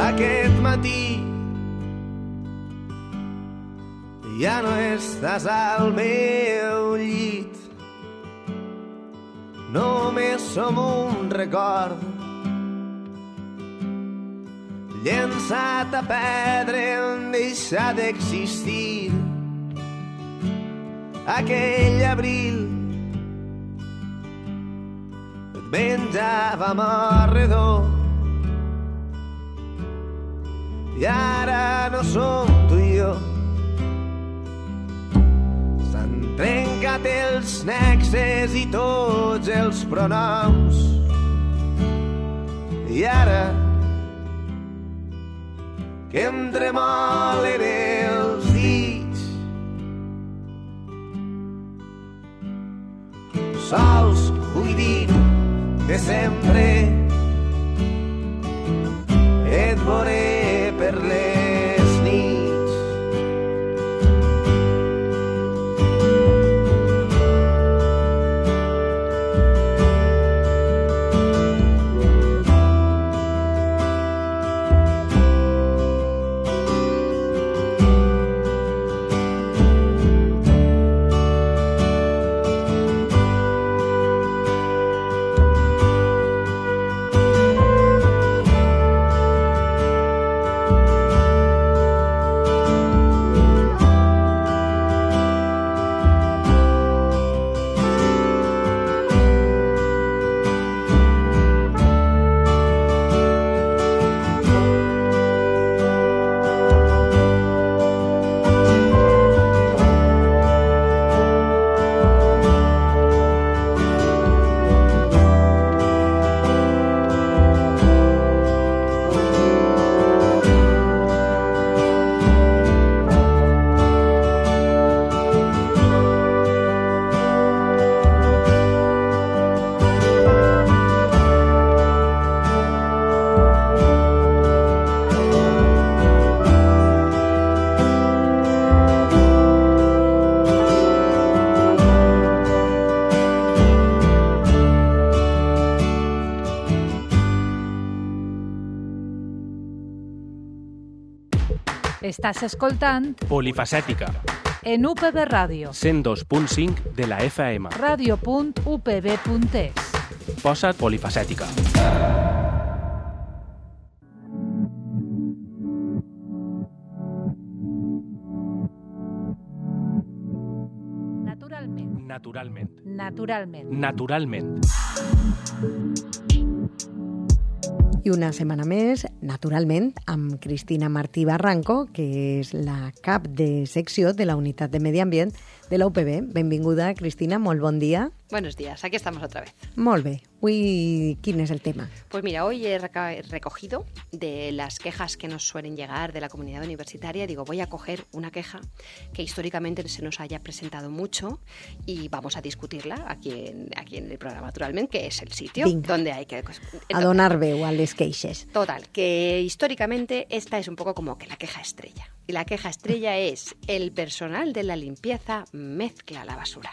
Aquest matí ja no estàs al meu llit, només som un record llençat a perdre en deixar d'existir. Aquell abril et menjàvem a redó i ara no som tu i jo. S'han trencat les nexes i tots els pronoms. I ara que em tremolen els dits, sols vull dir de sempre et veuré per les nits. Estàs escoltant Polifacètica, en U P B Ràdio, cent dos punt cinc de la F M. ràdio punt u p b punt es. Posa't polifacètica. Naturalment. Naturalment. Naturalment. Naturalment. I una setmana més, naturalment, amb Cristina Martí Barranco, que és la cap de secció de la Unitat de Medi Ambient de la U P B. Benvinguda, Cristina, molt bon dia. Buenos días, aquí estamos otra vez. Molt bé. Avui, quin és el tema? Pues mira, hoy he reca- recogido de las quejas que nos suelen llegar de la comunidad universitaria, digo, voy a coger una queja que históricamente se nos haya presentado mucho y vamos a discutirla aquí en, aquí en el programa, naturalmente, que es el sitio Vinga. donde hay que... A donar veu a les queixes. Total, que históricamente esta es un poco como que la queja estrella. Y la queja estrella es: el personal de la limpieza mezcla la basura.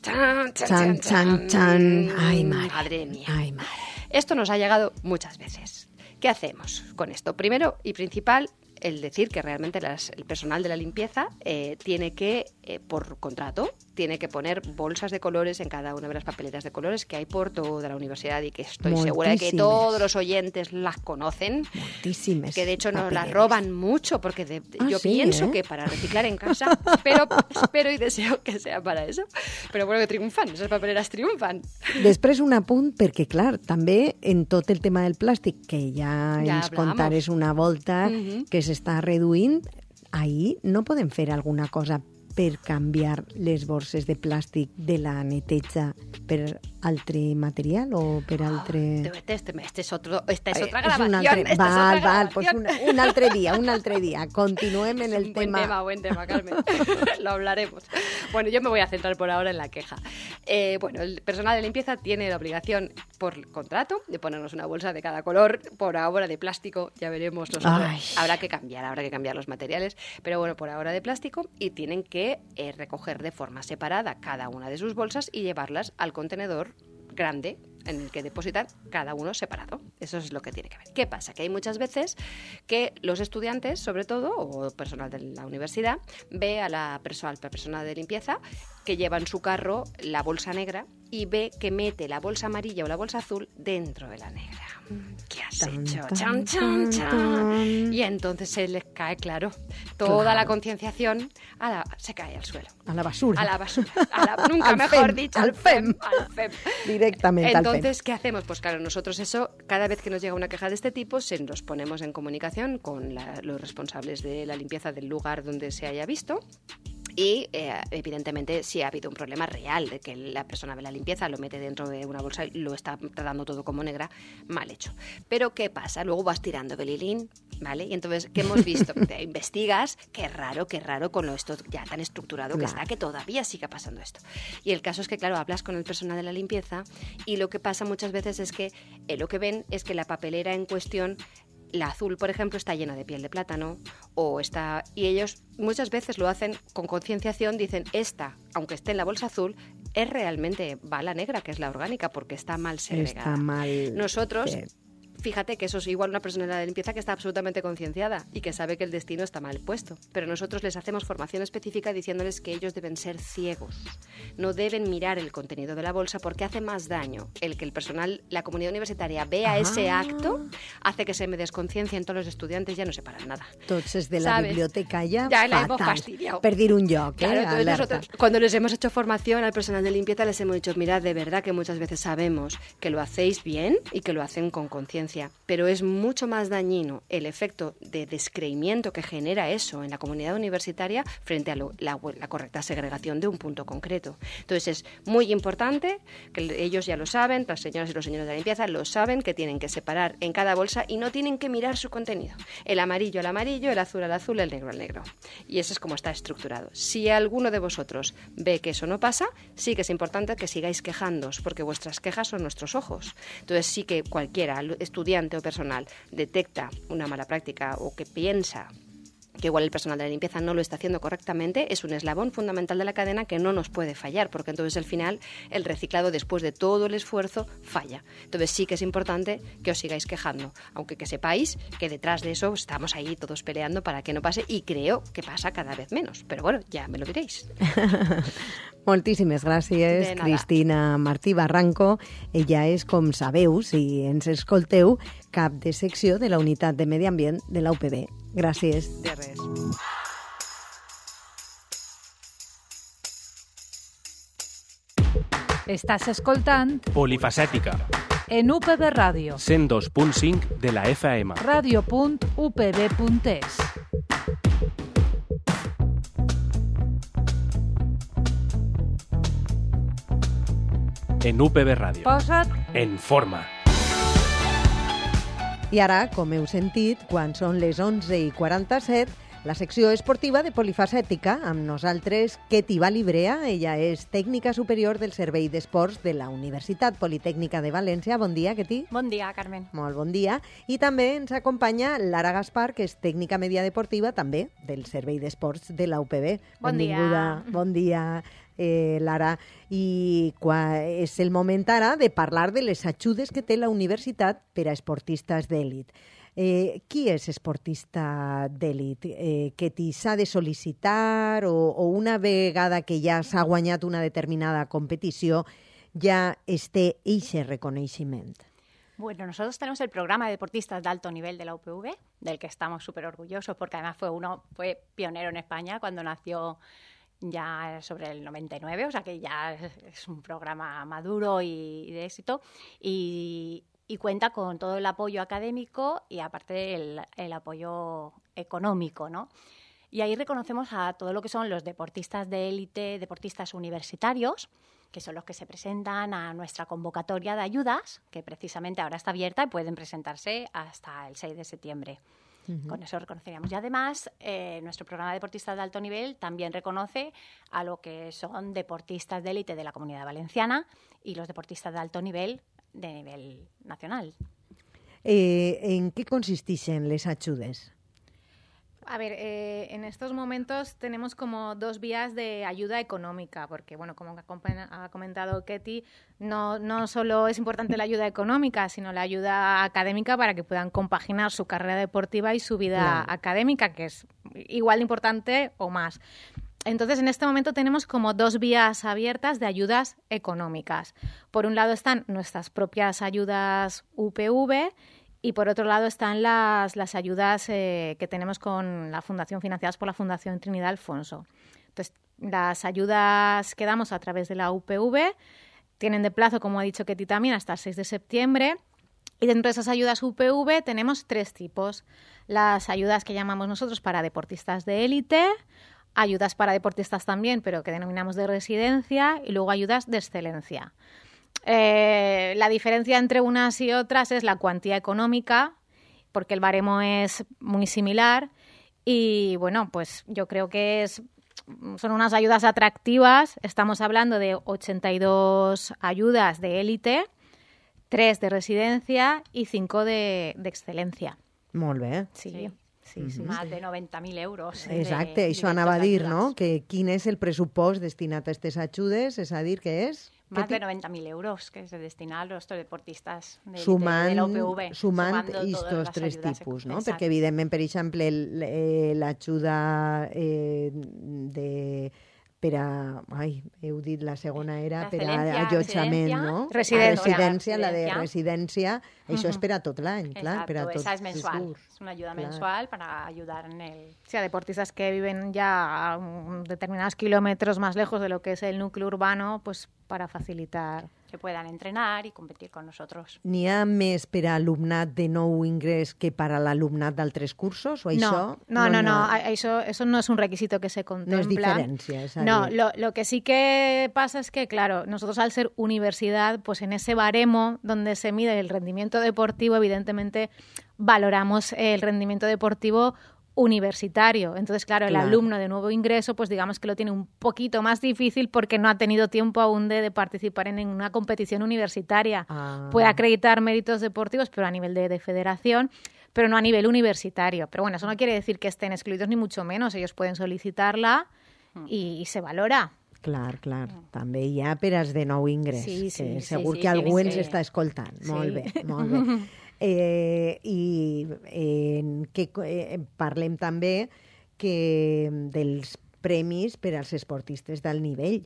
Chan, Chan, chan, chan. Ay, madre. Madre mía. Ay, madre. Esto nos ha llegado muchas veces. ¿Qué hacemos con esto? Primero y principal, el decir que realmente las, el personal de la limpieza eh, tiene que, eh, por contrato, tiene que poner bolsas de colores en cada una de las papeletas de colores que hay por toda la universidad y que estoy segura de que Moltíssimes. todos los oyentes las conocen. Moltíssimes Que de hecho nos las papeleres. roban mucho, porque de- Ah, yo sí, pienso ¿eh? que para reciclar en casa, pero espero y deseo que sea para eso. Pero bueno, que triunfan, esas papeleras triunfan. Després un apunt, perquè clar, també en tot el tema del plàstic, que ja, Ja ens hablamos. contares una volta Mhm. que s'està reduint, ahí no podem fer alguna cosa per canviar les borses de plàstic de la neteja per altre material o per altre... Este, este, este es otro, esta es Eh, otra és un grabación. altre... esta es val, otra val, pues grabación. un, un altre dia, un altre dia. Continuem en Es el un buen tema. tema, buen tema, Carmen. Lo hablaremos. Bueno, yo me voy a centrar por ahora en la queja. Eh, bueno, el personal de limpieza tiene la obligación por contrato de ponernos una bolsa de cada color, por ahora de plástico, ya veremos nosotros. Ay. Habrá que cambiar, habrá que cambiar los materiales, pero bueno, por ahora de plástico, y tienen que eh, recoger de forma separada cada una de sus bolsas y llevarlas al contenedor grande en el que depositar cada uno separado. Eso es lo que tiene que ver. ¿Qué pasa? Que hay muchas veces que los estudiantes, sobre todo, o personal de la universidad, ve a la persona, la persona de limpieza que lleva en su carro la bolsa negra y ve que mete la bolsa amarilla o la bolsa azul dentro de la negra. ¿Qué has Tan, hecho? tan, Chan, tan, chan, chan. tan. Y entonces se les cae, claro, toda Claro. la concienciación a la- se cae al suelo. A la basura. A la basura. A la- nunca Al mejor fem, dicho. al fem. Al fem. Directamente al fem. Entonces, ¿qué hacemos? Pues claro, nosotros eso, cada vez que nos llega una queja de este tipo, se nos ponemos en comunicación con la- los responsables de la limpieza del lugar donde se haya visto Y, eh, evidentemente, si ha habido un problema real de que la persona ve la limpieza, lo mete dentro de una bolsa y lo está tratando todo como negra, mal hecho. Pero, ¿qué pasa? Luego vas tirando belilín, ¿vale? Y entonces, ¿qué hemos visto? Te investigas, qué raro, qué raro con lo esto ya tan estructurado que Claro. está, que todavía siga pasando esto. Y el caso es que, claro, hablas con el personal de la limpieza y lo que pasa muchas veces es que eh, lo que ven es que la papelera en cuestión, la azul, por ejemplo, está llena de piel de plátano o está... Y ellos muchas veces lo hacen con concienciación, dicen, esta, aunque esté en la bolsa azul, es realmente bala negra, que es la orgánica, porque está mal segregada. Está mal. Nosotros... Sí. Fíjate que eso es igual una persona de la limpieza que está absolutamente concienciada y que sabe que el destino está mal puesto. Pero nosotros les hacemos formación específica diciéndoles que ellos deben ser ciegos. No deben mirar el contenido de la bolsa porque hace más daño el que el personal, la comunidad universitaria vea Ah. ese acto, hace que se me desconciencien todos los estudiantes, ya no separan nada. Tots de la ¿Sabes? biblioteca ya, Ya la hemos fatal. fastidiado. Perdir un lloc, Claro, eh? entonces Alerta. nosotros, cuando les hemos hecho formación al personal de limpieza, les hemos dicho, mirad, de verdad que muchas veces sabemos que lo hacéis bien y que lo hacen con conciencia, pero es mucho más dañino el efecto de descreimiento que genera eso en la comunidad universitaria frente a lo- la, la correcta segregación de un punto concreto. Entonces es muy importante, que ellos ya lo saben, las señoras y los señores de la limpieza lo saben, que tienen que separar en cada bolsa y no tienen que mirar su contenido. El amarillo al amarillo, el azul al azul, el negro al negro. Y eso es como está estructurado. Si alguno de vosotros ve que eso no pasa, sí que es importante que sigáis quejándoos, porque vuestras quejas son nuestros ojos. Entonces sí que cualquiera, estudiante o personal, detecta una mala práctica o que piensa que igual el personal de la limpieza no lo está haciendo correctamente, es un eslabón fundamental de la cadena que no nos puede fallar, porque entonces al final el reciclado, después de todo el esfuerzo, falla. Entonces sí que es importante que os sigáis quejando, aunque que sepáis que detrás de eso estamos ahí todos peleando para que no pase, y creo que pasa cada vez menos. Pero bueno, ya me lo diréis. Moltíssimes gràcies, De nada. Cristina Martí Barranco. Ella és, com sabeu, si ens escolteu, cap de secció de la Unitat de Medi Ambient de la U P B. Gràcies. De res. Estàs escoltant Polifacètica, en U P B Ràdio, cent dos punt cinc de la F M. ràdio punt u p b punt es. En U P B Ràdio. Posa't En forma. I ara, com heu sentit, quan són les onze i quaranta-set, la secció esportiva de Polifacètica, amb nosaltres Ketty Balibrea. Ella és tècnica superior del Servei d'Esports de la Universitat Politècnica de València. Bon dia, Ketty. Bon dia, Carmen. Molt bon dia. I també ens acompanya Lara Gaspar, que és tècnica media deportiva, també, del Servei d'Esports de la U P B. Bon dia. Benvinguda. Bon dia, eh, Lara. I qua, és el moment ara de parlar de les ajudes que té la universitat per a esportistes d'èlit. Eh, qui és esportista d'èlit? Eh, que t'hi s'ha de sol·licitar o, o una vegada que ja s'ha guanyat una determinada competició ja es té eixe reconeixement? Bueno, nosotros tenemos el programa de deportistas de alto nivel de la U P V, del que estamos súper orgullosos porque además fue uno fue pionero en España cuando nació ya sobre el noventa y nueve, o sea que ya es, es un programa maduro y, y de éxito y, y cuenta con todo el apoyo académico y aparte el, el apoyo económico, ¿no? Y ahí reconocemos a todo lo que son los deportistas de élite, deportistas universitarios, que son los que se presentan a nuestra convocatoria de ayudas, que precisamente ahora está abierta y pueden presentarse hasta el seis de septiembre. Uh-huh. Con eso reconoceríamos. Y además, eh, nuestro programa de deportistas de alto nivel también reconoce a lo que son deportistas de élite de la Comunidad Valenciana y los deportistas de alto nivel de nivel nacional. Eh, ¿En qué consistixen les ajudes? A ver, eh, en estos momentos tenemos como dos vías de ayuda económica, porque, bueno, como ha comentado Ketty, no, no solo es importante la ayuda económica, sino la ayuda académica para que puedan compaginar su carrera deportiva y su vida claro. académica, que es igual de importante o más. Entonces, en este momento tenemos como dos vías abiertas de ayudas económicas. Por un lado están nuestras propias ayudas U P V, y por otro lado están las, las ayudas eh, que tenemos con la Fundación, financiadas por la Fundación Trinidad Alfonso. Entonces, las ayudas que damos a través de la U P V tienen de plazo, como ha dicho Ketty también, hasta el seis de septiembre. Y dentro de esas ayudas U P V tenemos tres tipos. Las ayudas que llamamos nosotros para deportistas de élite, ayudas para deportistas también, pero que denominamos de residencia, y luego ayudas de excelencia. Eh, la diferencia entre unas y otras es la cuantía económica, porque el baremo es muy similar, y bueno, pues yo creo que es, son unas ayudas atractivas. Estamos hablando de ochenta y dos ayudas de élite, tres de residencia y cinco de, de excelencia. Molt bé. Sí. Sí. Sí, sí, Más sí. de noventa mil euros. Exacte, de, això anava a dir, no? Que quin és el pressupost destinat a aquestes ajudes, és a dir, que és... Más de noventa mil euros que se destina a los deportistas de, sumant, de la U P V. Sumant sumando estos todas tres ayudas, tipus, no? exacto. Perquè, evidentment, per exemple, el- eh, l'ajuda eh, de... per a... Ai, heu dit la segona era La per a excelencia, allotjament, residencia, no? residència. Residència, la de Residència. residència, això és per a tot l'any, clar, Exacto, per a tots esa es els mensual. curs. Es una ayuda Claro. mensual para ayudar en el... Sí, a deportistas que viven ya a um, determinados kilómetros más lejos de lo que es el núcleo urbano, pues para facilitar. que puedan entrenar y competir con nosotros. N'hi ha més per a alumnat de nou ingrés que per a l'alumnat d'altres cursos? O això No, no, no, no, a- Eso, eso no es un requisito que se contempla. No es diferencia, es No, decir- lo, lo que sí que pasa es que, claro, nosotros al ser universidad, pues en ese baremo donde se mide el rendimiento deportivo, evidentemente valoramos el rendimiento deportivo universitario. Entonces, claro, el Claro. alumno de nuevo ingreso, pues digamos que lo tiene un poquito más difícil porque no ha tenido tiempo aún de, de participar en una competición universitaria. Ah. Puede acreditar méritos deportivos, pero a nivel de, de federación, pero no a nivel universitario. Pero bueno, eso no quiere decir que estén excluidos ni mucho menos. Ellos pueden solicitarla y, y se valora. Clar, clar. També hi ha per als de nou ingrés, Sí, sí, que sí, segur sí, que algú tiene ens que- està escoltant. Sí. Molt bé, molt bé. Eh, I eh, que eh, parlem també que dels premis per als esportistes d'alt nivell,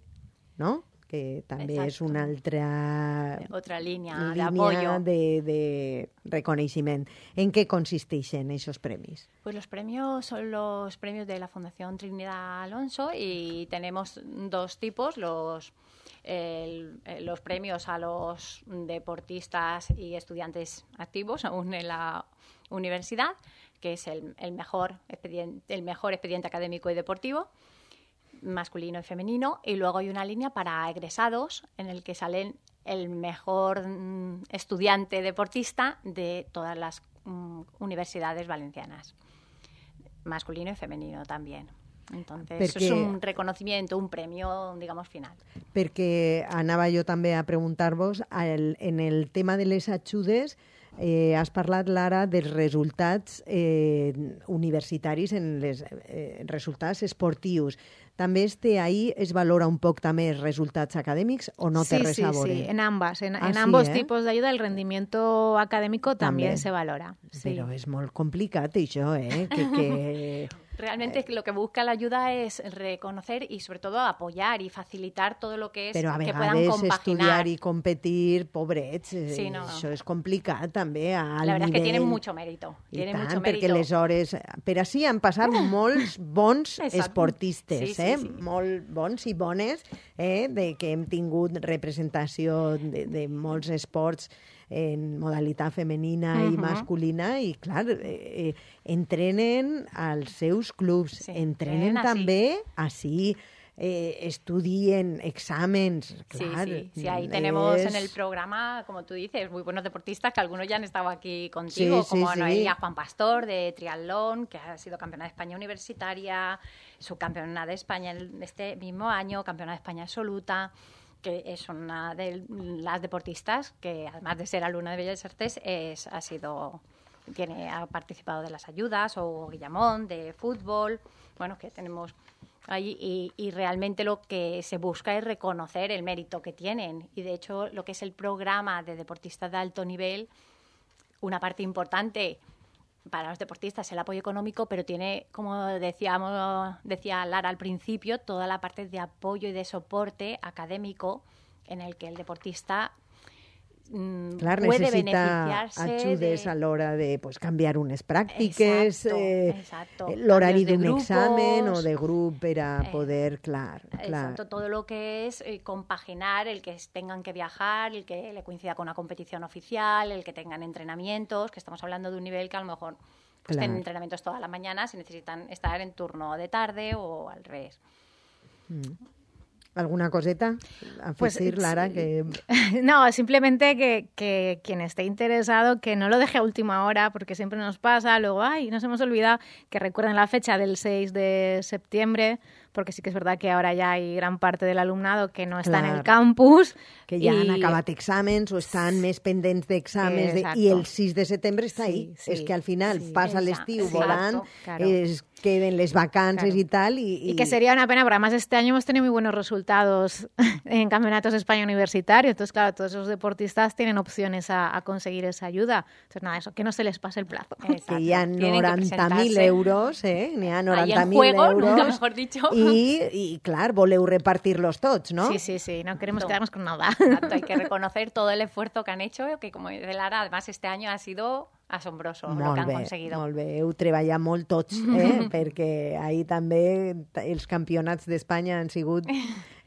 no? Que també és una altra Otra línea de línia apoyo. de, de reconeixement. En què consisteixen aquests premis? Pues los premios son los premios de la Fundación Trinidad Alonso y tenemos dos tipos, los, el- eh, los premios a los deportistas y estudiantes activos aún en la universidad, que es el, el mejor expediente, el mejor expediente académico y deportivo, masculino y femenino, y luego hay una línea para egresados en el que salen el mejor mm, estudiante deportista de todas las mm, universidades valencianas, masculino y femenino también. Entonces, eso es Perquè- un reconocimiento, un premio, digamos, final. Perquè anava jo també a preguntar-vos, el, en el tema de les ajudes, eh, has parlat, Lara, dels resultats eh, universitaris, en les eh, resultats esportius. També este ahí es valora un poc també els resultats acadèmics o no té Sí, res sí, a veure? sí, en ambas. En, Ah, en sí, ambos eh? tipos de ayuda el rendimiento académico también, També. se valora. Sí. Però és molt complicat això, eh? Que, que... Realmente lo que busca la ayuda es reconocer y sobre todo apoyar y facilitar todo lo que es Però a que puedan vegades compaginar. estudiar i competir, pobrets, eh, Sí, no. això és complicat també al La verdad es que nivell... tienen mucho mérito. I Tienen tant, mucho perquè mérito. les hores... Per així han passat molts bons Exacte. esportistes, Sí, sí, eh? sí. Molt bons i bones, eh? De que hem tingut representació de, de molts esports en modalitat femenina i Mhm. masculina i, clar, eh, eh, entrenen als seus clubs, Sí, entrenen entrenen també així, eh, estudien exàmens, Sí, clar. sí, sí, ahí tenemos és- en el programa, como tú dices, muy buenos deportistas, que algunos ya han estado aquí contigo, Sí, sí, como sí. Noelia Juan Pastor de triatlón, que ha sido campeona de España universitaria, subcampeona de España en este mismo año, campeona de España absoluta, que es una de las deportistas que, además de ser alumna de Bellas Artes, es, ha sido tiene ha participado de las ayudas, o Guillamón de fútbol, bueno, que tenemos ahí, y, y realmente lo que se busca es reconocer el mérito que tienen, y de hecho lo que es el programa de deportistas de alto nivel, una parte importante para los deportistas el apoyo económico, pero tiene, como decíamos, decía Lara al principio, toda la parte de apoyo y de soporte académico en el que el deportista mm, Clar, puede necessita beneficiarse ajudes de... a l'hora de pues, canviar unes pràctiques, Exacto, eh, exacto. l'horari Cambios de d'un grupos. examen o de grup per a Eh, poder, clar, clar. Exacto, todo lo que es eh, compaginar, el que es- tengan que viajar, el que le coincida con una competición oficial, el que tengan entrenamientos, que estamos hablando de un nivel que a lo mejor pues tienen entrenamientos toda la mañana si necesitan estar en turno de tarde o al revés. Mm. ¿Alguna coseta a Pues, decir, Lara? Que... No, simplemente que, que quien esté interesado que no lo deje a última hora, porque siempre nos pasa, luego, ay, nos hemos olvidado, que recuerden la fecha del seis de septiembre, porque sí que es verdad que ahora ya hay gran parte del alumnado que no está Clar. en el campus. Que ja i... han acabat exàmens o estan més pendents d'exàmens de... i el sis de setembre està ahí. Sí, sí, és que al final sí, passa exacto, l'estiu sí, volant, claro. es queden les vacances Claro. y tal. Y, Y que sería una pena, porque además este año hemos tenido muy buenos resultados en campeonatos de España universitarios. Entonces, claro, todos esos deportistas tienen opciones a, a conseguir esa ayuda. Entonces, nada, eso, que no se les pase el plazo. que hi ha noranta mil euros, eh? N'hi ha noranta mil juego, euros. nunca mejor dicho. I, I, clar, voleu repartir-los tots, no? Sí, sí, sí, no queremos No. quedarnos con nada. Exacto, hay que reconocer todo el esfuerzo que han hecho, que como dice Lara, además este año ha sido asombroso lo que Molt han bé, conseguido. molt bé. Heu treballat molt tots, eh? perquè ahir també els campionats d'Espanya han sigut,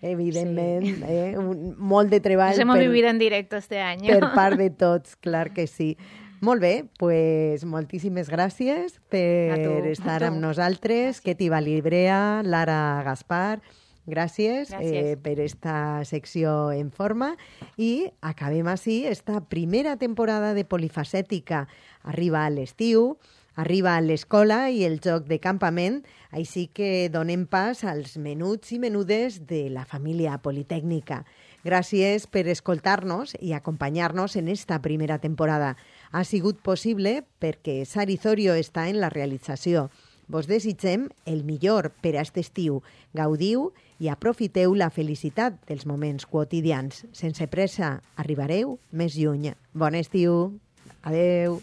evidentment, sí. eh? Un, molt de treball. Nos hemos per, vivido en directo este año. per part de tots, clar que sí. Molt bé, pues, moltíssimes gràcies per A tu, estar a tu. amb nosaltres. Keti Valibrea, Lara Gaspar, gràcies, Gràcies. eh, per esta secció en forma. I acabem així esta primera temporada de Polifacètica. Arriba a l'estiu, arriba a l'escola i el joc de campament, així que donem pas als menuts i menudes de la família Politècnica. Gràcies per escoltar-nos i acompanyar-nos en esta primera temporada. Ha sigut possible perquè Sari Zorio està en la realització. Vos desitgem el millor per a aquest estiu. Gaudiu i aprofiteu la felicitat dels moments quotidians. Sense pressa, arribareu més lluny. Bon estiu. Adeu.